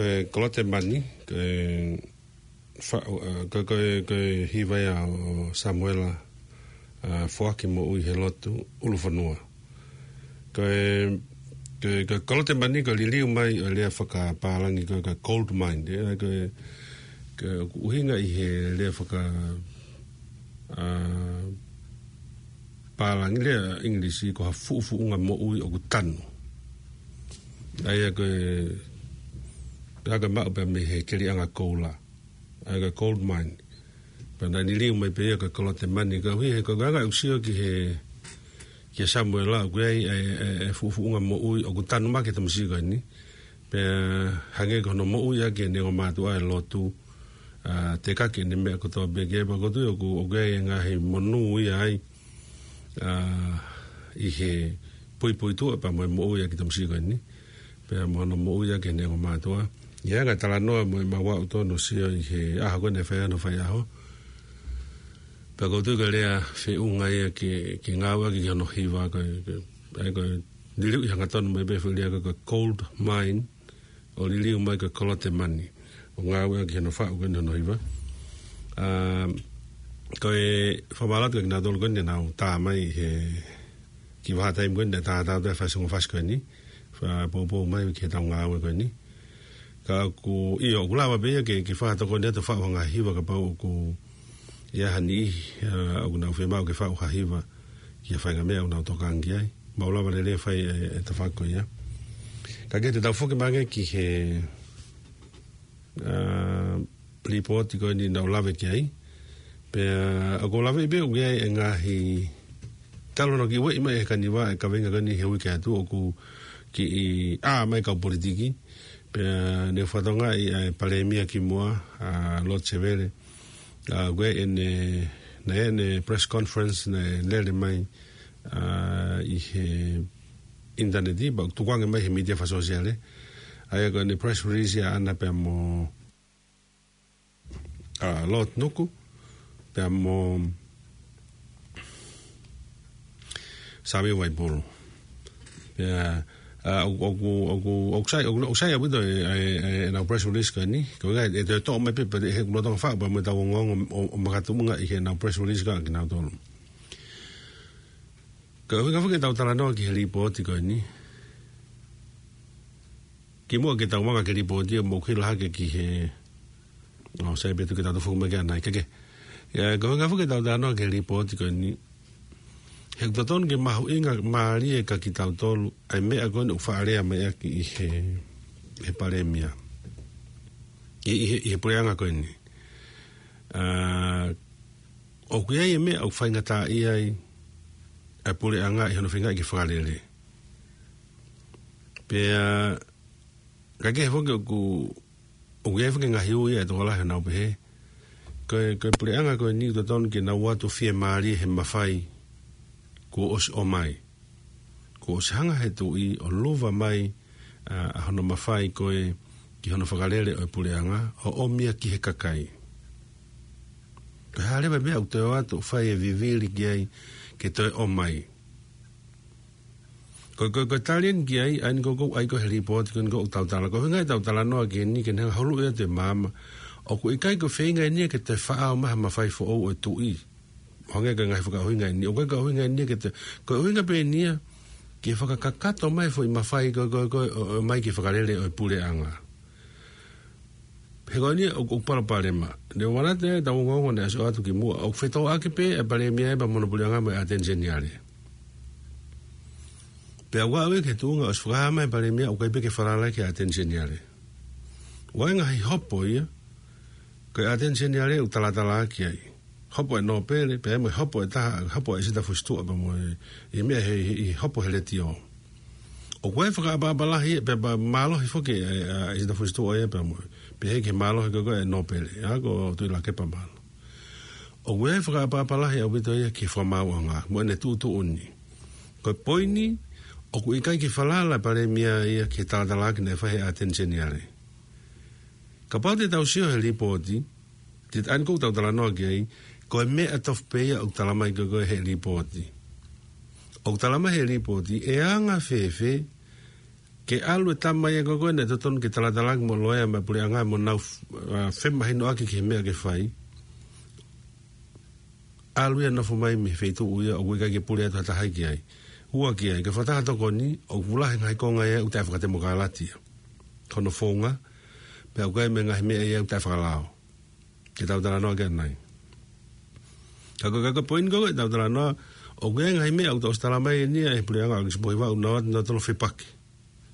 Ko e Kolote Mani, ko e fa-, ʻa, ko, ko, ko e hiva ia ʻo Samuela, ʻa, Foaki Moʻui he Lotu, ʻUlufonua. Ko e, ko e, ko e Kolote Mani ko e liliu mai ʻo e lea fakapālangi ko e, ko e gold mine, ē, ko e, ko e ʻuhinga ʻi he lea faka-, ʻa, pālangi, lea ʻIngilisi ko ha fuʻufuʻunga moʻui ʻoku tanu. ʻA ia ko e, ko e ʻa ia ko e maʻu pē mei he keliʻanga koula. ʻA ia ko e gold mine. Pea naʻe liliu mai pē ia ko e Kolote Mani, koeʻuhi he ko e anga ʻoku sio ki he, kia Samuela ʻoku ʻi ai e, e, e fuʻufuʻunga moʻui ʻoku tanu maʻa e tamasiʻi ko eni. Pea hangē ko hono moʻui ʻaki ʻene ongo mātuʻa e lotu, ʻa, tekaki ʻene meʻa kotoa pē ke pea ko e tuʻu ʻoku, ʻoku ʻi ai e ngaahi monū ia ai, ʻa, ʻi he puipuituʻa pea mo e moʻui ʻaki e tamasiʻi ko eni. Pea mo hono moʻui ʻaki ʻene ongo mātuʻa. ʻI he anga e talanoa mo e maʻu ʻaupito hono sio ʻi he ʻaho ko eni fai ano fai ʻaho. Pea ko e tuʻu ko e lea feʻunga ia ke, ke ngāueʻaki ki hono hiva ko e, ko e, ʻa ia ko e liliu ʻi he hangatonu mai pē foʻi lea ko e, ko e gold mine, ʻo liliu mai ko e Kolote Mani. ʻO ngāueʻaki ki hono faʻu ko eni hono hiva. ʻA, ko e fakamālō atu kia kinautolu ko eni naʻa nau tā mai he kiʻi vahaʻa taimi ko eni, naʻe tātā atu e faʻahinga fasi ko eni. Fakapoupou mai ki heʻetau ngāue ko eni. Ka ʻoku, ʻio, ʻoku lava pē ia ke, ke fakatokoni atu faʻu ha ngaahi hiva kapau ʻoku ʻi ai ha niʻihi, ʻa, ʻoku nau fiemaʻu ke faʻu ha hiva ki ha faʻahinga meʻa ʻoku nau tokanga ki ai. Mau lava lelei fai e, e tafaʻaki ko ia. Ka ke te tau foki mai ange ki he, ʻa, lipooti ko eni naʻa ku lave ki ai. Pea ʻoku ou lave pē ʻoku ʻi ai e ngaahi, talu naʻa ku kiʻi ueʻi mai he kaniva e kaveinga ko eni he uike atu ʻoku kiʻi ʻā mai e kau politiki. Pea ne u fakatokangaʻi ʻa e Palēmia kimuʻa, ʻa, Lord Sevele. ʻA, ʻoku ʻi ai ʻene, naʻe ʻene press conference naʻe lele mai, ʻa, ʻi he ʻinitaneti, pea ʻoku tukuange mai he mītia fakasōsiale. ʻA ia ko ʻene press release ʻaʻana pea mo, ʻa, Lord Nuku, pea mo Sami Vaipolo. Pea, ʻa, ʻoku, ʻoku, ʻoku, ʻoku sai, ʻoku, ʻoku sai ʻaupito e, e, e, ʻenau press release ko eni. Ko e ngaahi, ʻe toe toʻo mai pē, pea he kulo tonga faʻu, pea mo ʻetau ongoongo ʻo, ʻo makatuʻunga ʻi heʻenau press release ko ē kinautolu. Ko e ʻuhinga foki ʻetau talanoa ki he lipooti ko eni. Kimuʻa ke tau anga ki he lipooti ʻoku mou kila hake ki he, ʻo sai pē tuku ke tau toe foki mai ki ai ʻanai, ke ke. ʻIa, ko e ʻuhinga foki ʻetau talanoa ki he lipooti ko eni. He ʻoku totonu ke mahuʻingamālie kia kitautolu ʻa e meʻa ko eni ʻoku faʻa lea mai ʻaki ʻi he, he Palēmia. ʻI, ʻi he, ʻi he puleʻanga ko eni. ʻA, ʻoku ʻi ai e meʻa ʻoku faingataʻaʻia ai ʻa e puleʻanga ʻi hono feingaʻi ke fakalele. Pea, ka ke he foki ʻoku, ʻoku ʻi ai foki e ngaahi ui ʻa e tokolahi ʻoku nau pehē. Ko e, ko e puleʻanga ko eni ʻoku totonu ke nau ō atu ʻo fiemālie he mafai kuo ʻosi ʻomai. Kuo ʻosi hanga he tuʻi ʻo luva mai, ʻa, ʻa hono mafai ko ē ki hono fakalele ʻo e puleʻanga, ʻo ʻomi ia ki he kakai. Ko e hā leva e meʻa ʻoku toe ō atu ʻo fai e vivili ki ai ke toe ʻomai. Ko, ko, ko e tali eni ki ai, ʻa eni ko ē ʻoku ʻai ko ē he lipooti ko eni ʻoku tau tala. Ko e ʻuhinga ʻetau talanoa ki heni ke ne hanga ʻo huluʻi atu e maama. ʻOku ʻikai ko e feinga eni ia ke toe faʻao mai ha mafai foʻou ʻo e tuʻi. Hangē ko e ngaahi fakaʻuhinga eni. ʻOku ʻikai ko e ʻuhinga eni ia ke toe, ko e ʻuhinga pē eni ia ke fakakakato mai e foʻi mafai ko ē, ko ē, ko ē, ʻo, ʻomai ki he fakalele ʻo e puleʻanga. He ko eni ʻoku, ʻoku palopalema. Ne u ʻamanaki ʻetau ongoongo naʻe ʻosi ʻoatu kimuʻa. ʻOku fetōʻaki pē e Palēmia ia pea mo hono puleʻanga mo e ʻAteni Seniale. Pea ʻoku aʻu ia ki he tuʻunga ʻosi fakahā mai e Palēmia ʻoku ʻikai pē ke falala ki he ʻAteni Seniale. ʻOku ʻi ai e ngaahi hopo ia, ko e ʻAteni Seniale ʻoku talatalaaki ai. Hopo e nōpele, pea mo e hopo ʻe taha, hopo ʻa ʻIsita Fusituʻa pea mo e, ʻi he meʻa he, he, he hopo he letiō. ʻOku ʻi ai e fakaʻapaʻapa lahi, pea, pea mālohi foki e, ʻa ʻIsita Fusituʻa ia pea mo e, pehē ki he mālohi ko ē ko ē e nōpele, ʻa ko Tuʻilakepa Malo. ʻOku ʻi ai e fakaʻapaʻapa lahi ʻaupito ia ki he fakamaauʻanga, mo ʻene tuʻutuʻuni. Ko e poini, ʻoku ʻikai ke falala e Palēmia ia ki he talatalaaki naʻe fai he ʻAteni Seniale. Kapau te tau sio he lipooti, te ʻa eni ʻoku tau talanoa ki ai, ko e meʻa tofu pē ia ʻoku tala mai ko ē ko ē he lipooti. ʻOku tala mai he lipooti, ʻe anga fēfē Ke ʻalu e tama ia ko ē naʻe totonu ke talatalaaʻaki mo loea mo e puleʻanga mo nau, ʻa, femahinoʻaki ki he meʻa ke fai. ʻAlu ia nofo mai mei he feituʻu ia ʻoku ʻikai ke pule atu ha taha ki ai. Ua ki ai, ke fakataha tokoni, ʻoku lahi e ngaahi konga ia ʻoku taʻefakatemokalati ia. Ko hono founga, pea ʻoku ʻi ai mo e ngaahi meʻa ia ʻoku taʻefakalao. Ke tau talanoa ki ai ʻanai. Ka ko, ka ko e poini ko ē ʻetau talanoa, ʻoku ʻi ai e ngaahi meʻa ʻoku tau ʻosi tala mai eni ia ʻe he puleʻanga ʻo Kisipohiva ʻoku nau ō atu nautolu ʻo fepaki.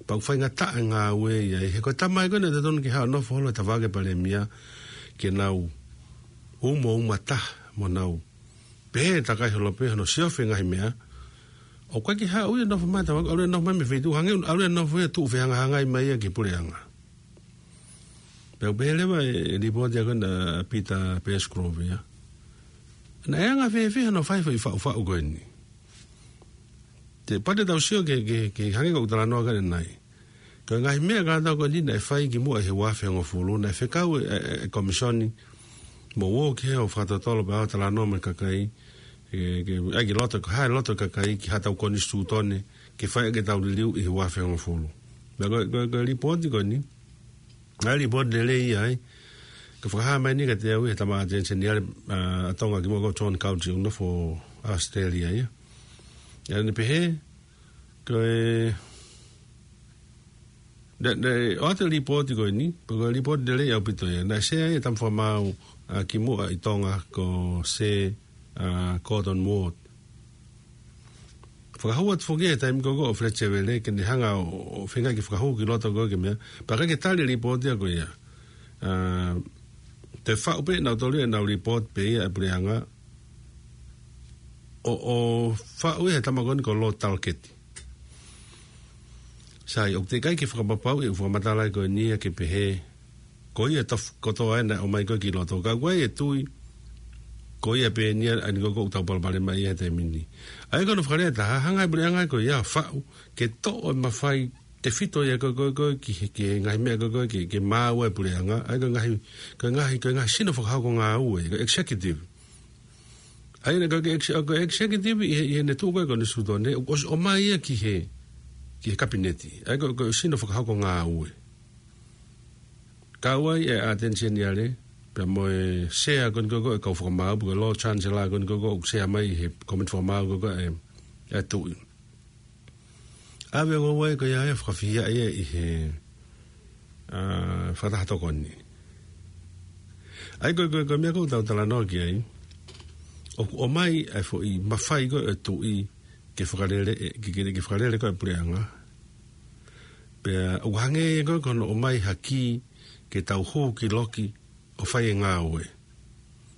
Pea ʻoku faingataʻa e ngāue ia, he ko e tama ia ko ē naʻe totonu ke haʻu ʻo nofo holo he tafaʻaki ʻo e palēmia, ke nau umo uma taha mo nau pehē takai holo pē hono siofi e ngaahi meʻa. ʻOku ʻikai ke haʻu ia ʻo nofo mai he tafaʻaki, ʻalu ia ʻo nofo mai mei he feituʻu, hangē ʻalu ia ʻo nofo ia ʻo tuʻu fehangahangai mai ia ki he puleʻanga. Pea ʻoku pehē leva e, e lipooti ia ko ē ʻa Peter Pettigrove ia. Naʻe anga fēfē hono fai e foʻi faʻufaʻu ko eni. Te pate tau sio ke, ke, ke hangē ko ʻeku talanoa ki ai ʻanai. Ko e ngaahi meʻa kātoa ko eni naʻe fai kimuʻa he ua afe hongofulu, naʻe fekau e, e, e, e komisoni, mo ō ki hē ʻo fakatotolo pea ō ʻo talanoa mo e kakai, ke, ke, ʻai ki loto, ko e hā e loto e kakai, ki haʻatau konisitūtone, ke fai ʻaki ʻetau liliu ʻi he ua afe hongofulu. Pea ko, ko, ko e lipooti ko eni, ʻa e lipooti lelei ia ai. Ka fakahā mai eni kiate au ʻe he tama ʻAteni Seniale, ʻa, ʻa Tonga kimuʻa ko John Couch ʻoku nofo ʻAositelēlia ia. ʻA ia naʻe pehē, ko e, naʻe, naʻe ʻoatu e lipooti ko eni, pea ko e lipooti lelei ʻaupito ia. Naʻe sea ai e tama fakamaau, ʻa, kimuʻa ʻi Tonga ko Sir, ʻa, Gordon Ward. Fakahū atu foki he taimi ko ē ʻo Fletcher Vele ke ne hanga ʻo, ʻo feinga ke fakahū ki loto ko ē ki he meʻa. Pea ʻikai ke tali e lipooti ia ko ia. ʻA, toe faʻu pē ʻe nautolu ia ʻenau lipooti pē ia ʻa e puleʻanga. ʻO, ʻo faʻu ia he tama ko eni ko Lord Talketti. Sai, ʻoku teʻeki ai ke fakapapauʻi e fakamatala ko eni ia ke pehē ko ia tofu kotoa ē naʻe ʻomai ko ē ki loto. Ka ʻoku ʻi ai e tui, ko ia pē eni ia ʻa eni ko ē ʻoku tau palopalema ai he taimi ni. ʻA ia ko hono fakalea ʻe taha, hanga ʻe he puleʻanga ko ia ʻo faʻu, ke toʻo e mafai tefito ia ko ē, ko ē, ko ē, ki he, ki he ngaahi meʻa ko ē, ko ē, ke, ke maau ai e puleʻanga. ʻA ia ko e ngaahi, ko e ngaahi, ko e ngaahi sino fakahoko ngāue, ko e executive. ʻA ia naʻe ko e ex-, ko e executive ʻi he, ʻi heʻene tuʻu ko ē he konisitūtone, ʻoku ʻosi ʻomai ia ki he, ki he kapineti. ʻA ia ko e, ko e sino fakahoko ngāue. Kau ai e ʻAteni Seniale, pea mo e sea ko eni ko ē ʻo e kau fakamaau, pe ko e Lord Chancellor ko eni ko ē ʻoku sea mai he komiti fakamaau ko ē ʻa e, ʻa e tuʻi. ʻAve ʻo ngāue ko ia ʻa e fakafehiʻa ia ʻi he, ʻa, fakataha tokoni. ʻA ia ko e, ko e, ko e meʻa ko ē ʻoku tau talanoa ki ai, ʻoku ʻomai ʻa e foʻi mafai ko ē ʻo e tuʻi ke fakalele, ke, ke, ke fakalele ko ē e puleʻanga. Pea ʻoku hangē ia ko ē ko hono ʻomai ha kī ke tau hū ki loki ʻo fai e ngāue.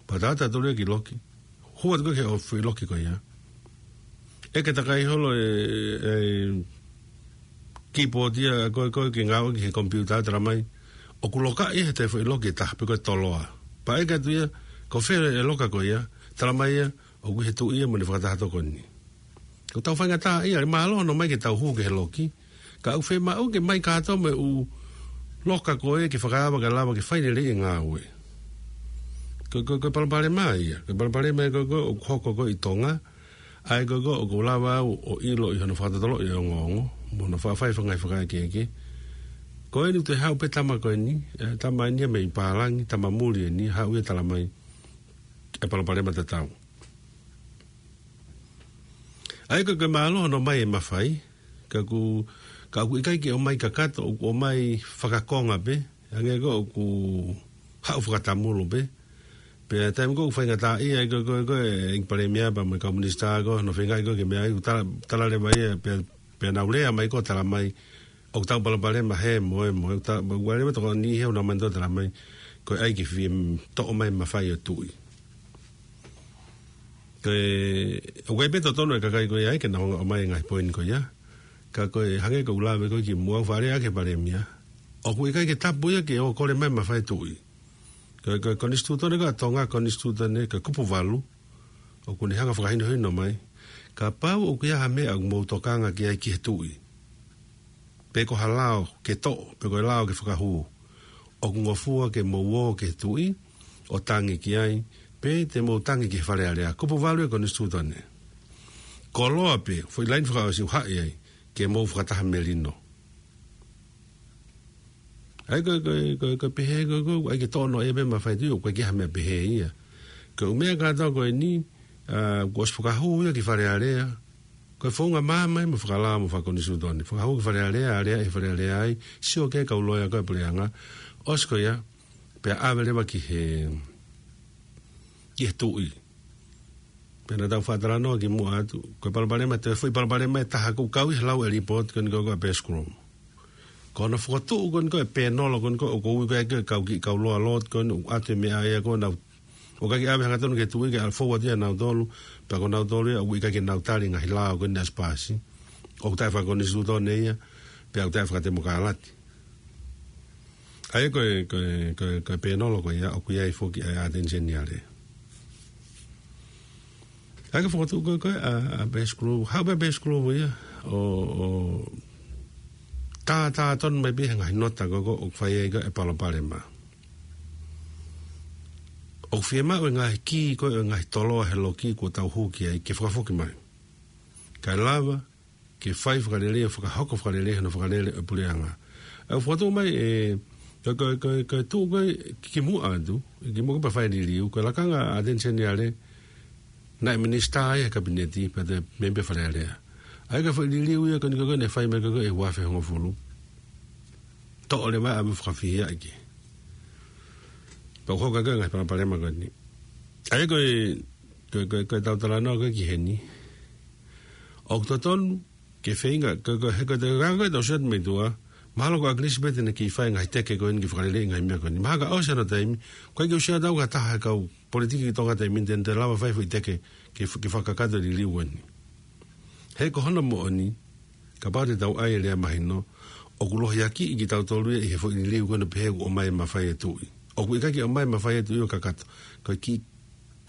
Pea tau ō atu tautolu ia ki loki. Hū atu ko ē ki he ʻo fai loki ko ia. ʻEke takai holo e, e keyboard ia ko ē, ko ē ke ngāue ki he komipiuta, talamai ʻoku lokaʻi ia he toe foʻi loki ʻe taha pe ko e toloa. Pea ʻeke atu ia, ko fē e loka ko ia, talamai ia ʻoku ʻi he tuʻi ia mo ʻene fakataha tokoni. ʻOku tau faingataʻaʻia, ʻe mālō hono ʻomai ke tau hū ki he loki. Ka ʻoku fiemaʻu ke ʻomai kātoa mo e ʻū loka ko ē ke fakaava ke lava ke fai lelei e ngāue. Ko, ko, ko e palopalema ia. Ko e palopalema ia ko ē ʻoku hoko ko ē ʻi Tonga. ʻA ia ko ē ʻoku ou lava au ʻo ʻilo ʻi hono fakatotoloʻi e ongoongo mo hono faʻa fai e ngaahi fakaʻekeʻeke. Ko eni ʻoku toe haʻu pē tama ko eni, e, tama eni ia mei pālangi, tama muli eni, haʻu ia ʻo talamai e palopalema tatau. ʻA ia ko e, ko e mālō hono ʻomai e mafai, ka ʻoku, ka ʻoku ʻikai ke ʻomai kakato, ʻoku ʻomai fakakonga pē, hangē ko ē ʻoku haʻu fakatamulu pē. Pea taimi ko ē ʻoku faingataʻaʻia ai ko ē, ko ē, ko ē, ʻEiki Palēmia pea mo e kau minisitā ko ē, hono feingaʻi ko ē ke meʻa ai, ʻoku tala, tala leva ia, pea, pea nau lea mai ko ē ʻo talamai, ʻoku tau palopalema he mo e, mo e, ʻoku tau, ʻoku ʻi ai leva tokoni he ʻoku nau manatuʻi ʻo talamai, ko e ʻai ke fie toʻo mai e mafai ʻo e tuʻi. Ko e, ʻoku ʻi ai pē totonu e kakai ko ia ai ke nau hanga ʻo ʻomai e ngaahi poini ko ia. Ka ko e hangē ko ʻeku lave ko ē kimuʻa ʻoku fakalea ʻaki ʻe he Palēmia, ʻoku ʻikai ke tapu ia ke ō ʻo kole mai e mafai ʻo e tuʻi. Ko e, ko e konisitūtone ko ē ʻa Tonga, konisitūtone ko e kupu valu, ʻoku ne hanga ʻo fakahinohino mai. Kapau ʻoku ʻi ai ha meʻa ʻoku mou tokanga ki ai ki he tuʻi, pe ko ha lao ke toʻo, pe ko e lao ke fakahū, ʻoku ngofua ke mou ō ki he tuʻi ʻo tangi ki ai, pe te mou tangi ki he Fale Alea. Kupu valu e konisitūtone. Koloa pē, foʻi laine fakaʻosi ʻoku haʻi ai, ke mou fakataha melino. ʻA ia ko e, ko e, ko e, ko e pehē ko e, ko e, ʻai ke toʻo noa ia pē mafai tuʻi, ʻoku ʻikai ke ʻi ai ha meʻa pehē ia. Ko e ʻū meʻa kātoa ko eni, ʻa, kuo ʻosi fakahū ia ki Fale Alea. Ko e founga māmani mo fakalao mo fakakonisitūtone. Fakahū ki Fale Alea, Alea ʻe Fale Alea ai, sio ki ai kau loea ko e puleʻanga. ʻOsi ko ia, pea ʻave leva ki he, ki he tuʻi. Pea naʻa tau faʻa talanoa kimuʻa atu. Ko e palopalema, toe foʻi palopalema ʻe taha ʻoku kau ʻi he lau ʻa e lipooti ko eni ko e, ko e Best Group. Ko hono fokotuʻu ko eni ko e pēnolo ko eni ko e ʻoku ui ko e kau kiʻi kau loea lotu ko eni ʻoku ʻoatu e meʻa ia ko ʻenau. ʻOku ʻikai ke ʻave hangatonu ki he tuʻi ke ʻalu forward ia ʻanautolu, pea ko nautolu ia ʻoku ʻikai ke nau tali e ngaahi lao ko eni ʻa Sipasi. ʻOku taʻefakakonisitūtone ia, pea ʻoku taʻefakatemokālati. ʻA ia ko e, ko e, ko e, ko e pēnolo ko ia, ʻoku ʻi ai foki ʻa e ʻAteni Seniale. ʻA ia ko e fokotuʻu ko e, ko e, ʻa, ʻa Best Group, haʻu pē Best Group ia, ʻo, ʻo, tā, tā tonu mai pē he ngaahi nota ko e, ko e, ʻoku fai ai ko e palopalema. ʻOku fiemaʻu e ngaahi kī ko e, ʻo e ngaahi toloa he loki kuo tau hū ki ai ke fakafoki mai. Kae lava, ke fai fakalelei, fakahoko fakalelei, hono fakalele ʻa e puleʻanga. ʻA ia ʻoku fokotuʻu mai ʻe, ko e, ko e, ko e, ko e tuʻu ko e kimuʻa atu, kimuʻa ko e pea fai e liliu, ko e lakanga ʻa ʻAteni Seniale, naʻe minisitā ia he kapineti, pea toe mēmipa Fale Alea. ʻA ia ko e foʻi liliu ia ko eni ko e, ko e naʻe fai mai ko e, ko e ʻi he ua afe hongofulu. Toʻo leva ʻa e meʻa fakafihiaʻaki. Pea ʻoku hoko ko e ngaahi palopalema ko eni. ʻA ia ko e, ko e, ko e, ko e tau talanoa ko e ki heni. ʻOku totonu ke feinga, ko e, ko e, he ko e, ko e, ko e tau sio atu mei tuʻa, mahalo ko ʻAkilisi pē te ne kiʻi fai e ngaahi teke ko eni ke fakalele e ngaahi meʻa ko eni. Mahalo ka ʻosi hono taimi, ʻoku ʻikai ke u sio atu au ki ha taha he kau politiki ki Tonga taimi ni te ne lava fai e foʻi teke ke, ke fakakakato e liliu ko eni. He ko hono moʻoni, kapau te tau ʻai e lea mahino, ʻoku lohiakiʻi kitautolu ia ʻi he foʻi liliu ko eni pehē ʻoku ʻomai e mafai e tuʻi. ʻOku ʻikai ke ʻomai e mafai e tuʻi ʻo kakato, ko e kiʻi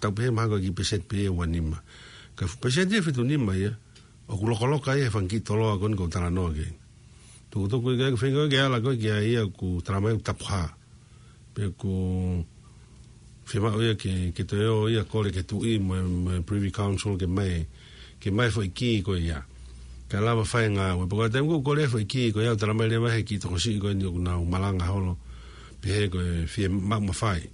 tau pehē mahalo ko e kiʻi peseti pē ʻe ua nima. Ko e fuʻu peseti ʻe fitu nima ia, ʻoku lokoloka ia he fanga kiʻi toloa ko eni ʻoku ou talanoa ki ai. Tukutuku ia ke feinga ke ala ko e ki ai ia ʻoku talamai ʻoku tapu hā. Pea ʻoku fiemaʻu ia ke, ke toe ō ia kole ki he tuʻi mo e, mo e Privy Council ke ʻomai, ke ʻomai e foʻi kī ko ia. Kae lava fai e ngāue. Pea ko e taimi ʻoku kole e foʻi kī ko ia, ʻoku talamai leva he kiʻi tokosiʻi ko eni ʻoku nau malanga holo, pehē ko e fiemaʻu mafai.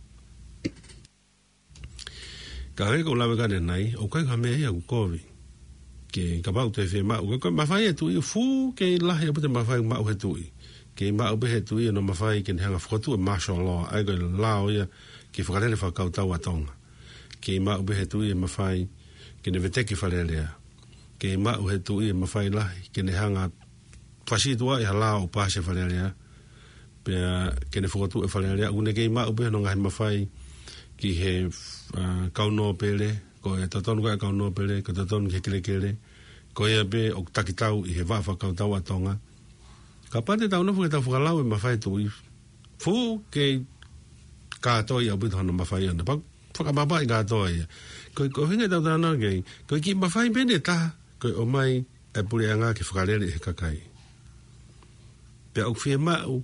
Ka hangē ko ʻeku lave ko eni, ʻoku ʻikai ha meʻa ia ʻoku kovi. Ke kapau te fiemaʻu, ko e, ko e mafai e tuʻi, fuʻu kei lahi ʻaupito e mafai ʻoku maʻu he tuʻi. Kei maʻu pē he tuʻi hono mafai ke ne hanga ʻo fokotuʻu e martial law, ʻa ia ko e lao ia ke fakalele fakakautau ʻa Tonga. Kei maʻu pē he tuʻi e mafai ke ne veteki Fale Alea. Kei maʻu he tuʻi e mafai lahi ke ne hanga ʻo fasi atu ʻa e lao ʻoku paasi ʻe Fale Alea. Pea ke ne fokotuʻu e Fale Alea, ʻoku ne kei maʻu pē hono ngaahi mafai ki he, ʻa, kau nōpele, ko e totonu ko e kau nōpele, ko e totonu ki he kelekele, ko ia pē ʻoku takitau ʻi he vaʻa fakakautau ʻa Tonga. Kapau te tau nofo ke tau fakalau e mafai e tuʻi, fuʻu kei kātoi ʻaupito hono mafai ʻana. Pea fakamapaʻi kātoa ia. Ko e, ko e ʻuhinga ʻetau talanoa ki ai, ko e kiʻi mafai pē ʻe taha, ko e ʻomai e puleʻanga ke fakalele ʻe he kakai. Pea ʻoku fiemaʻu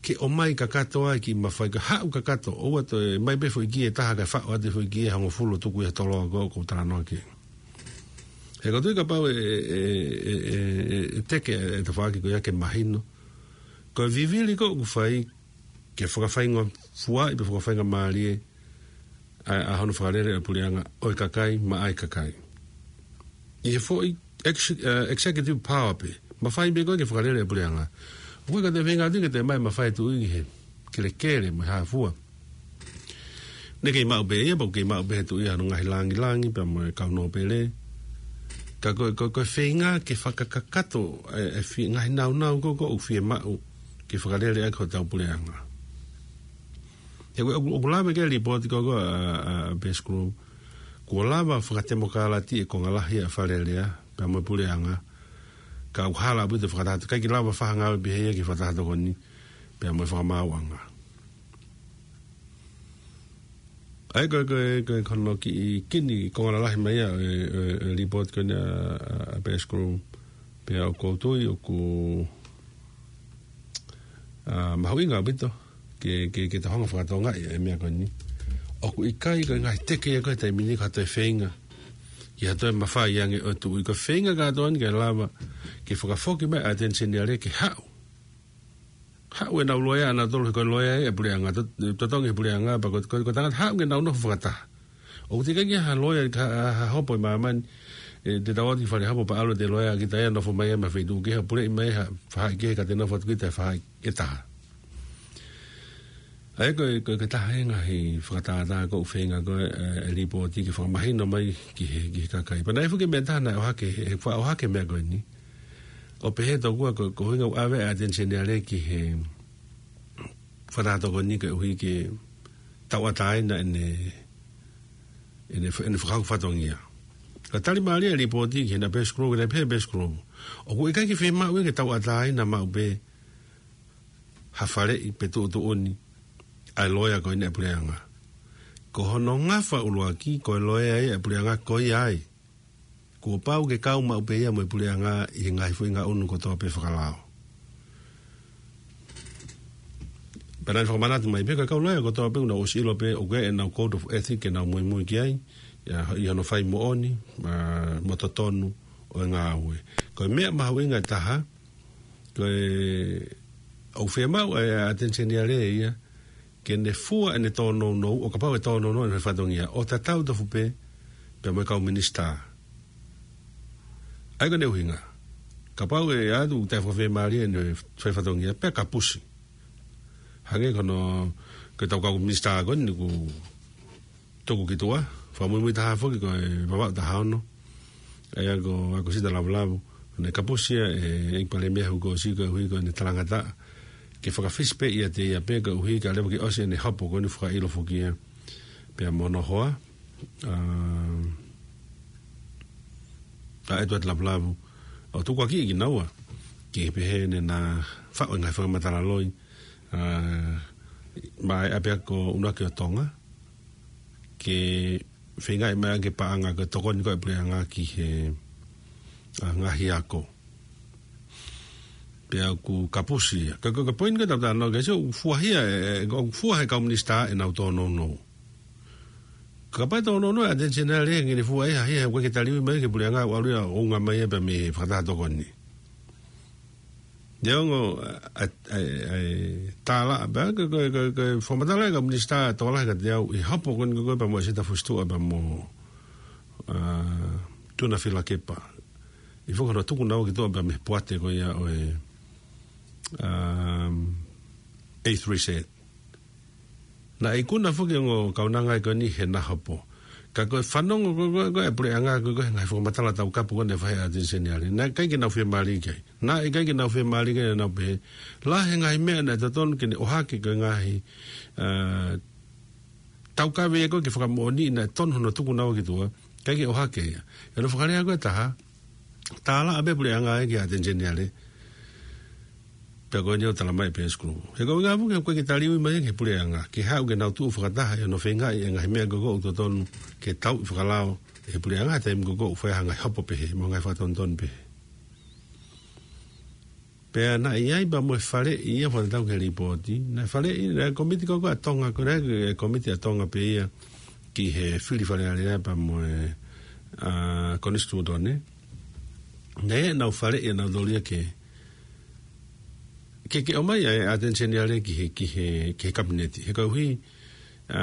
ke ʻomai kakato ai e kiʻi mafai, ka haʻu kakato, ʻoua toe ʻomai pē foʻi kī ʻe taha kae faʻo atu e foʻi kī ʻe hongofulu ʻo tuku ʻi he toloa ko ē ʻoku ou talanoa ki ai. He ʻoku ou tui kapau ʻe, ʻe, ʻe, ʻe, ʻe, ʻe teke e tafaʻaki ko ia ke mahino. Ko e vivili ko ē ʻoku fai, ke fakafaingofuaʻi pe fakafaingamālie ʻa, ʻa hono fakalele ʻa e puleʻanga ʻo e kakai, maʻa e kakai. ʻI he foʻi ex-, ʻa, executive power pē, mafai pē ko ē ke fakalele ʻa e puleʻanga. ʻOku ʻikai ke toe feinga atu ke toe ʻomai e mafai e tuʻi ki he kelekele mo e hā fua. Ne kei maʻu pē ia, pea ʻoku kei maʻu pē he tuʻi ia hono ngaahi langilangi, pea mo e kau nōpele. Ka ko e, ko e, ko e feinga ke fakakakato e, e fi-, ngaahi naunau ko ē ʻoku fiemaʻu ke fakalele ʻaki hotau puleʻanga. He ʻoku, ʻoku, ʻoku lave ki ai e lipooti ko ē ʻa, ʻa, ʻa Best Group. Kuo lava fakatemokālati e konga lahi ʻa Fale Alea, pea mo e puleʻanga. Ka ʻoku hala ʻaupito e fakataha, ʻikai ke lava fai ha ngāue pehē ia ki he fakataha tokoni, pea mo e fakamaauʻanga. ʻA ia ko e, ko e, ko e, ko hono kiʻi kini konga lalahi mai ia e, e, e lipooti ko eni ʻa, ʻa, ʻa Best Group, pea ʻoku ou tui ʻoku, ʻa, mahuʻinga ʻaupito ke, ke, ke tau hanga ʻo fakatokangaʻi e meʻa ko eni. ʻOku ʻikai ko e ngaahi teke ia ko ē he taimi ni ko ha toe feinga ki ha toe mafai ange ʻo e tuʻi, ko e feinga kātoa eni ke lava ke fakafoki mai ʻa e ʻAteni Seniale ke haʻu Haʻu ʻenau loea ʻanautolu, he ko e loea ia ʻa e puleʻanga, to-, totongi he puleʻanga, pea ko, ko, ko e tangata haʻu ke nau nofo fakataha. ʻOku teʻeki ke ʻi ai ha loea, ha, ha, ha hopo ʻi māmani, ʻe, te tau ō ki fale hopo pea ʻalu ʻete loea kita ia ʻo nofo mai ia mei he feituʻu kehe, puleʻi mai ha faʻahi kehe ka te nofo atu kita he faʻahi ʻe taha. ʻA ia ko e, ko e, ko e taha e ngaahi fakatātā ʻoku ou feinga ko ē, ʻe, ʻe lipooti ke fakamahino mai ki he, ki he kakai. Pea naʻe ʻi ai foki e meʻa ʻe taha naʻe ʻohake, he faʻa ʻohake e meʻa ko eni. ʻO pehē tokua ko, ko e ʻuhinga ʻoku ʻave ʻa e Attorney General ki he Fakataha Tokoni koeʻuhi ke tauʻatāina ʻene, ʻene, ʻene fakahoko fatongia. Ka tali mālie e lipooti ki he naʻe pehē ʻe Scrooge, naʻe pehē ʻe Scrooge, ʻoku ʻikai ke fiemaʻu ia ke tauʻatāina maʻu pē ha faleʻi pe tuʻutuʻuni ʻa e loea ko eni ʻa e puleʻanga. Ko hono ngafa ʻuluaki, ko e loea ia ʻa e puleʻanga ko ia ai. Kuo pau ke kau maʻu pē ia mo e puleʻanga ʻi he ngaahi foʻi ngaʻunu kotoa pē fakalao. Pea naʻe fakamanatu mai pē ko e kau loea kotoa pē ʻoku nau ʻosi ʻilo pē ʻoku ʻi ai ʻenau code of ethic ke nau muimui ki ai, ia, ʻi hono fai moʻoni, ʻa, mo totonu ʻo e ngāue. Ko e meʻa mahuʻinga ʻe taha, ko e, ʻoku fiemaʻu ʻe he Attorney General ia, ke ne fua ʻene tōnounou, ʻo kapau ʻe tōnounou ʻene fatongia, ʻo tatau tofu pē, pea mo e kau minisitā. ʻA ia ko ʻene ʻuhinga. Kapau ʻe ʻatu ʻoku taʻefakafiemālie ʻene fai fatongia, pea kapusi. Hangē ko hono, ko ʻetau kau minisitā ko eni ʻoku tuku ki tuʻa, fakamuimui taha foki ko e Vavaʻu taha ono. ʻA ia ko ʻAkosita Lavulavu. Naʻe kapusi ia ʻe he ʻEiki Palēmia he uike kuo ʻosi koeʻuhi ko ʻene talangataʻa. Ke fakafisi pē ʻiate ia pē koeʻuhi ka leva ke ʻosi ʻene hopo ko eni fakaʻilo foki ia. Pea mo hono hoa, ʻa, ʻa ʻEtuate Lavulavu. ʻO tukuakiʻi kinaua. Ke pehē ʻene na faʻu e ngaahi fakamatala loi. ʻA, mai ʻapea ko ʻUluaki ʻo Tonga. Ke feingaʻi mai ke paʻanga ko e tokoni ko ē ʻa e puleʻanga ki he, ʻa, ngaahi ako. Pea ʻoku kapusi ia. Ka, ka, ka poini ko e tau tano, ke sio, ʻoku fuahia, ʻe, ʻe, ʻoku fua he kau minisitā ʻenau tōnounou. Kapau ʻe tōnounou ʻa e Attorney General ia ke ne fua ia, hia, ʻoku ʻikai ke taliui mai ki he puleʻanga ʻo ʻalu ia ʻo unga mai ia pea mei he Fakataha Tokoni. Neongo, ʻa, ʻa, ʻa, tālaʻa, pea, ko, ko, ko, ko e fakamatala ʻa e kau minisitā tokolahi kiate au, ʻi he hopo ko eni ko ē pea mo ʻAsita Fusituʻa pea mo, ʻa, Tuʻunga Filakepa. ʻI he foki hono tuku naua ki tuʻa pea mei he poate ko ia ʻo e, um, A three Z. Naʻe ikuna foki ongo kaunanga ia ko eni he na hopo. Ka ko e fanongo ko, ko, ko e puleʻanga ko, ko e ngaahi fakamatala taukapo ko eni ʻa e Attorney General. Naʻe ʻikai ke nau fiemālie ki ai. Naʻe ʻikai ke nau fiemālie ki ai, naʻa nau pehē. Lahi e ngaahi meʻa naʻe totonu ke ne ʻohake ko e ngaahi, ʻa, taukaveʻi ko ē ke fakamoʻoni naʻe tonu hono tuku naua ki tuʻa. ʻIkai ke ʻohake ia. ʻI hono fakalea ko ē ʻe taha. Tālaʻa pē puleʻanga ia ki he Attorney General. Pea ko eni ʻoku talamai pē ʻe Scrooge. He ko e ʻuhinga foki he ʻoku ʻikai ke taliui mai ki he puleʻanga. Ke haʻu ke nau tuʻu fakataha ʻi hono feingaʻi e ngaahi meʻa ko ē ʻoku totonu ke tauʻi fakalao ʻe he puleʻanga he taimi ko ē ʻoku fai ha ngaahi hopo pehē, mo e ngaahi fakatonutonu pehē. Pea naʻe ʻi ai pea mo e faleʻi ia fakatatau ki he lipooti. Naʻe faleʻi, naʻe komiti ko ē ʻa Tonga, ko e komiti ʻa Tonga pē ia ki he fili Fale Alea pea mo e, ʻa, Konisitūtone. Naʻe ʻi ai ʻenau faleʻi ʻanautolu ia ke, ke, ke ʻomai ʻa e Attorney General ki he, ki he, ki he kapineti. He koeʻuhi, ʻa,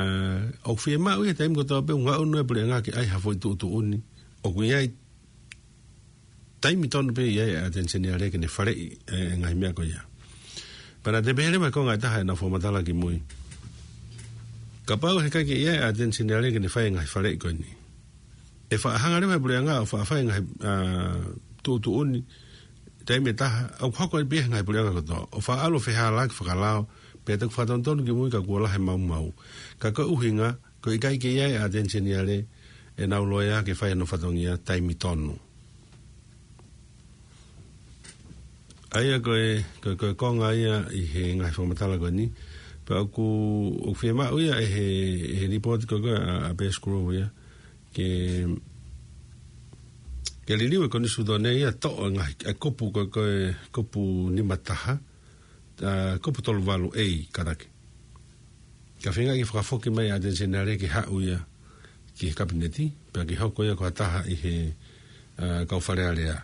ʻoku fiemaʻu ia he taimi kotoa pē ʻoku ngaʻunu e puleʻanga ke ʻai ha foʻi tuʻutuʻuni. ʻOku ʻi ai taimi tonu pē ia ʻa e Attorney General ke ne faleʻi e, e ngaahi meʻa ko ia. Pea naʻa te pehē leva ko e ngaahi taha ʻenau fakamatala ki mui. Kapau he ʻikai ke ʻi ai e Attorney General ke ne fai e ngaahi faleʻi ko eni. ʻE faʻa hanga leva e puleʻanga ʻo faʻa fai e ngaahi, ʻa, tuʻutuʻuni, taimi ʻe taha, ʻoku hoko ai pē he ngaahi puleʻanga kotoa. ʻO faʻa ʻalu ʻo fehālaaki fakalao, pea toki fakatonutonu ki mui ka kuo lahi e maumau. Ka ko e ʻuhinga, ko e ʻikai ke ʻi ai e Attorney General ʻenau loea ke fai hono fatongia taimi tonu. ʻA ia ko e, ko e, ko e konga ia ʻi he ngaahi fakamatala ko eni. Pea ʻoku, ʻoku fiemaʻu ia ʻe he, ʻe he lipooti ko ē ʻa, ʻa Pea Scrooge ia. Ke, ke liliu e Konisitūtone ia toʻo e ngaahi, e kupu ko ē, ko e kupu nima taha, ʻa, kupu tolu valu A, kātaki. Ka feinga ke fakafoki mai ʻa e Attorney General ke haʻu ia ki he kapineti, pea ke hoko ia ko ha taha ʻi he, ʻa, kau Fale Alea.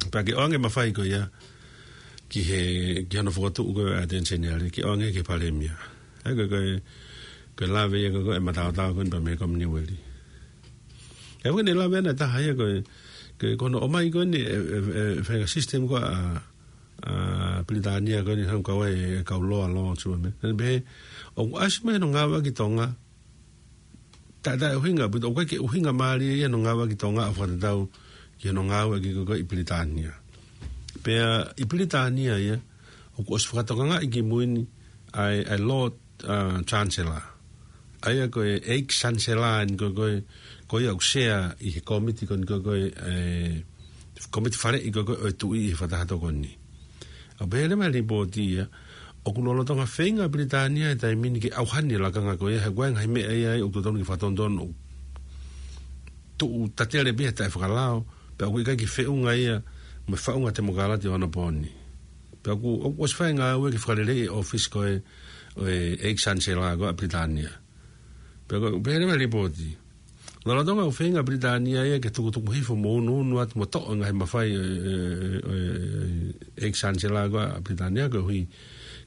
Pea ke ʻoange mafai ko ia, ki he, ki hono fokotuʻu ko ē ʻa e Attorney General, ke ʻoange ki he Palēmia. ʻA ia ko e, ko e, ko e lave ia ko ē ʻa e mataotao ko eni pea mei he Kominiueli. ʻA ia ko eni e lave ʻa e taha ia ko e, ko e, ko hono ʻomai ko eni e, e, e, e faʻahinga system ko ē ʻa, ʻa Pilitānia ko eni hangē ko e kau loa loa sua me. Naʻa ne pehē, ʻoku ʻasi mai hono ngāueʻaki ʻi Tonga, taʻe, taʻe ʻuhinga, pea ʻoku ʻikai ke ʻuhinga mālie ia hono ngāueʻaki ʻi Tonga ʻo fakatatau ki hono ngāueʻaki ko ē ʻi Pilitānia. Pea ʻi Pilitānia ia, ʻoku ʻosi fakatokangaʻi kimui ni ʻa e, ʻa e Lord, uh, Chancellor. ʻA ia ko e ex-Chancellor eni ko ē, ko ia ʻoku sea ʻi he kōmiti ko eni ko ē, e, kōmiti faleʻi ko ē ʻo e tuʻi ʻi he fakataha tokoni. ʻA ia pehē leva ʻe he lipooti ia, ʻoku lolotonga feinga ʻa Pilitānia he taimi ni ke ʻauhani e lakanga ko ia, he ʻoku ʻi ai e ngaahi meʻa ia ʻoku totonu ke fakatonutonu, ʻoku tuʻu tatele pē he taʻefakalao, pea ʻoku ʻikai ke feʻunga ia mo e faʻunga temokalati ʻo onopooni. Pea ʻoku, ʻoku ʻosi fai e ngāue ke fakaleleiʻi e ʻōfisi ko ē ʻo e ex-Chancellor ko ē ʻa Pilitānia. Pea ʻoku pehē leva ʻe he lipooti, lolotonga ʻoku feinga ʻa Pilitānia ia ke tukutuku hifo mo unuunu atu mo toʻo e ngaahi mafai ʻo e, e, e, e ex-Chancellor ko ē ʻa Pilitānia koeʻuhi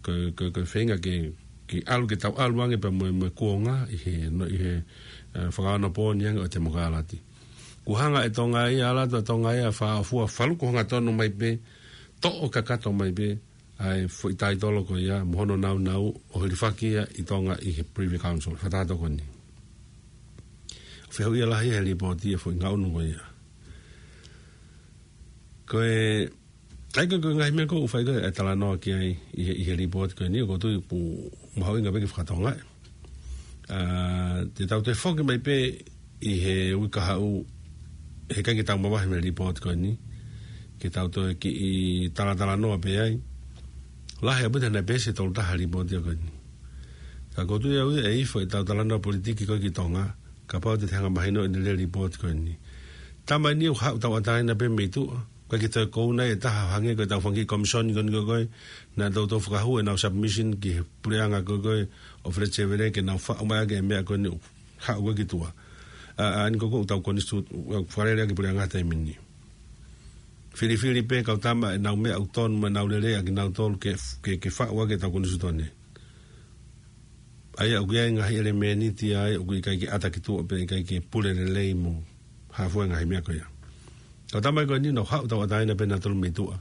ko e, ko e, ko e feinga ke, ke ʻalu, ke tau ʻalu ange pea mo e, mo e kuonga ʻi he, no, ʻi he, e, fakaonopooni ange ʻo e temokalati. Kuo hanga ʻe Tonga ia, ʻalu atu ʻa Tonga ia ʻo fāʻofua, faluku hangatonu mai pē, toʻo kakato mai pē ʻa e foʻi taitolo ko ia mo hono nāunau ʻo hilifaki ia ʻi Tonga ʻi he Privy Council, fakataha tokoni. Fehuʻia lahi ʻe he lipooti e foʻi ngaʻunu ko ia. Ko e, ʻa ia ko e, ko e ngaahi meʻa ʻoku fai ko ē e talanoa ki ai ʻi he, ʻi he lipooti ko eni, ʻoku ou tui ʻoku mahuʻinga pē ke fakatokangaʻi. ʻA, te tau toe foki mai pē ʻi he uike kahaʻu, he ʻikai ke tau mavahe mei he lipooti ko eni, ke tau toe kiʻi talatalanoa pē ai. Lahi ʻaupito naʻe peesi ʻe tolu taha e lipooti ko eni. Ka ʻoku ou tui au ia ʻe ifo ʻetau talanoa politiki ko ē ki Tonga, kapau te te hanga mahino ʻene lele lipooti ko eni. Tama eni ʻoku haʻu tauʻatāina pē mei tuʻa, ʻikai ke toe kouna e taha hangē ko ʻetau fanga kiʻi komisoni ko eni ko ē, naʻa nau toe fakahū ʻenau submission ki he puleʻanga ko ē ʻo Fred Sevele ke nau faʻu mai ʻaki e meʻa ko eni ʻoku haʻu ko ē ki tuʻa. ʻA, ʻa eni ko ē ʻoku tau konisitū-, ʻoku fakalele ʻaki e puleʻanga he taimi ni. Filifili pē kau tama ʻenau meʻa ʻoku tonu mo ʻenau lelei ʻakinautolu ke, ke, ke faʻu ʻaki ʻetau konisitūtone. ʻA ia ʻoku ʻi ai e ngaahi ʻelemēniti ia ʻoku ʻikai ke ʻata ki tuʻa pea ʻikai ke pule lelei mo hafua e ngaahi meʻa ko ia. Kau tama ko eni nau haʻu tauʻatāina pē nautolu mei tuʻa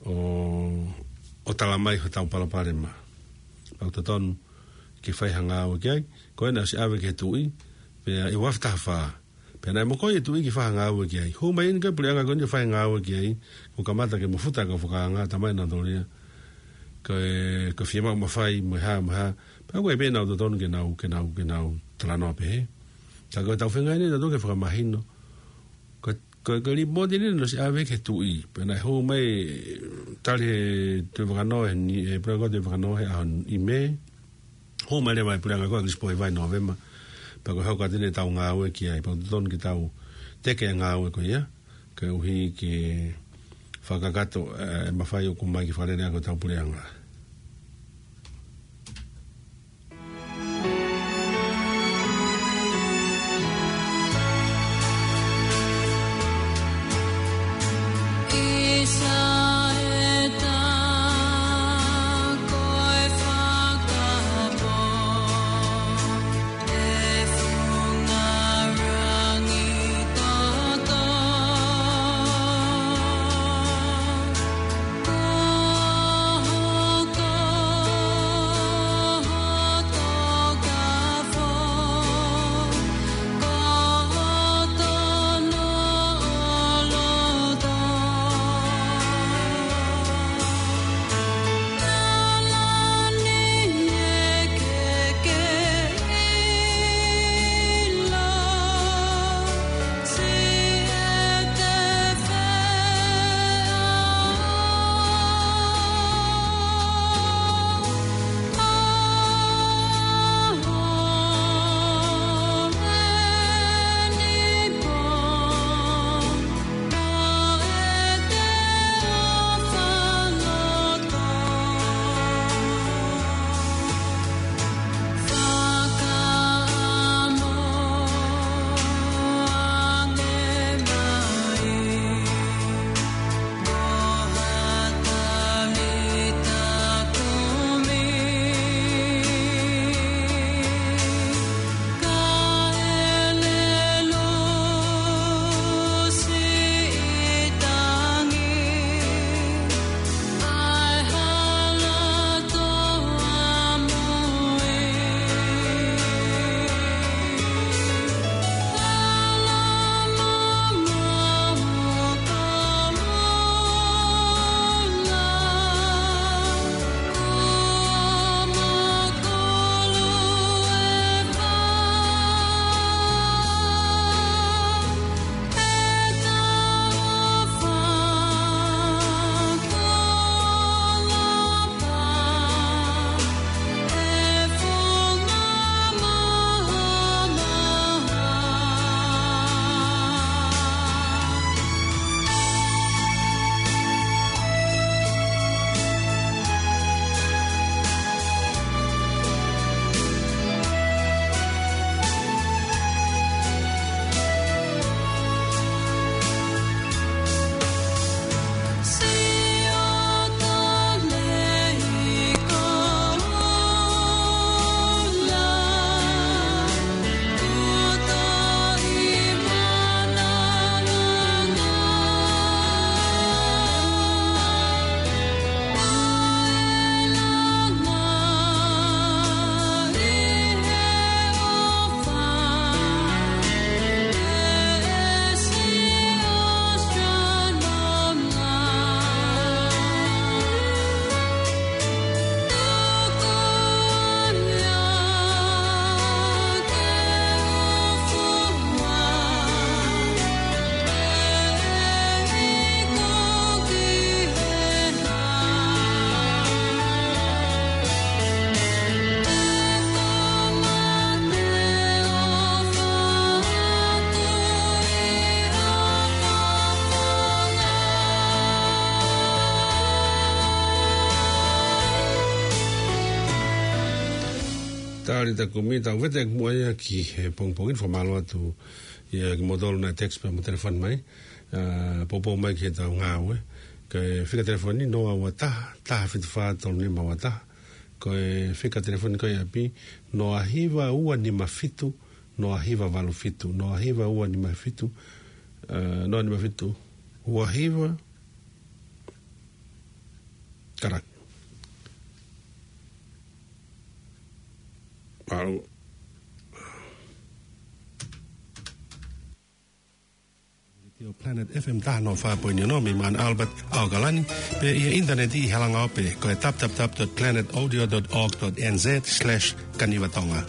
ʻo, ʻo tala mai hotau palopalema. Pea ʻoku totonu ke fai ha ngāue ki ai, ko ena ʻosi ʻave ki he tuʻi, pea ʻi he ua afe taha fā. Pea naʻe mokoi e tuʻi ke fai ha ngāue ki ai. Hū mai eni ko ē puleʻanga ko eni ʻo fai ha ngāue ki ai, kuo kamata ke mafuta e kau fakaanga, tala mai nautolu ia. Ko e, ko e fiemaʻu mafai, mo e hā, mo e hā. Pea ko e pē naʻa nau totonu ke nau, ke nau, ke nau talanoa pehē. Ka ko ʻetau feinga eni nautolu ke fakamahino. Ko, ko, ko e lipooti eni naʻe ʻosi ʻave ki he tuʻi. Pea naʻe hū mai, tali ʻe he Tuʻi Fakanō, ʻe he ni, ʻe he puleʻanga ko ē Tuʻi Fakanō he ʻaho ni ʻi Mē. Hū mai leva e puleʻanga ko ē ʻAkilisi Pōhiva ʻi Nōvema. Pea ko e hoko atu eni ʻetau ngāue ki ai. Pea ʻoku totonu ke tau teke e ngāue ko ia, koeʻuhi ke fakakakato, e, mafai ʻoku ʻomai ke fakalele ʻaki hotau puleʻanga. Tali takumi, tau vete ʻaki muʻa ia ki he pongipongi ni. Fakamālō atu ia kimoutolu naʻe text pea mo telefoni mai. ʻA, poupou mai ki heʻetau ngāue. Ko e fika telefoni noa ua taha, taha fitu fā tolu nima ua taha. Ko e fika telefoni ko ia ʻi ʻapi, noa hiva ua nima fitu, noa hiva valu fitu, noa hiva ua nima fitu, ʻa, noa nima fitu, ua hiva, karak. Mālō. Planet F M taha noa fā poini ono mei Mount Albert, ʻAokalani, pea ʻi he ʻinitaneti ʻi he langa ope, ko e w w w dot planet audio dot org dot n z slash kanivatonga.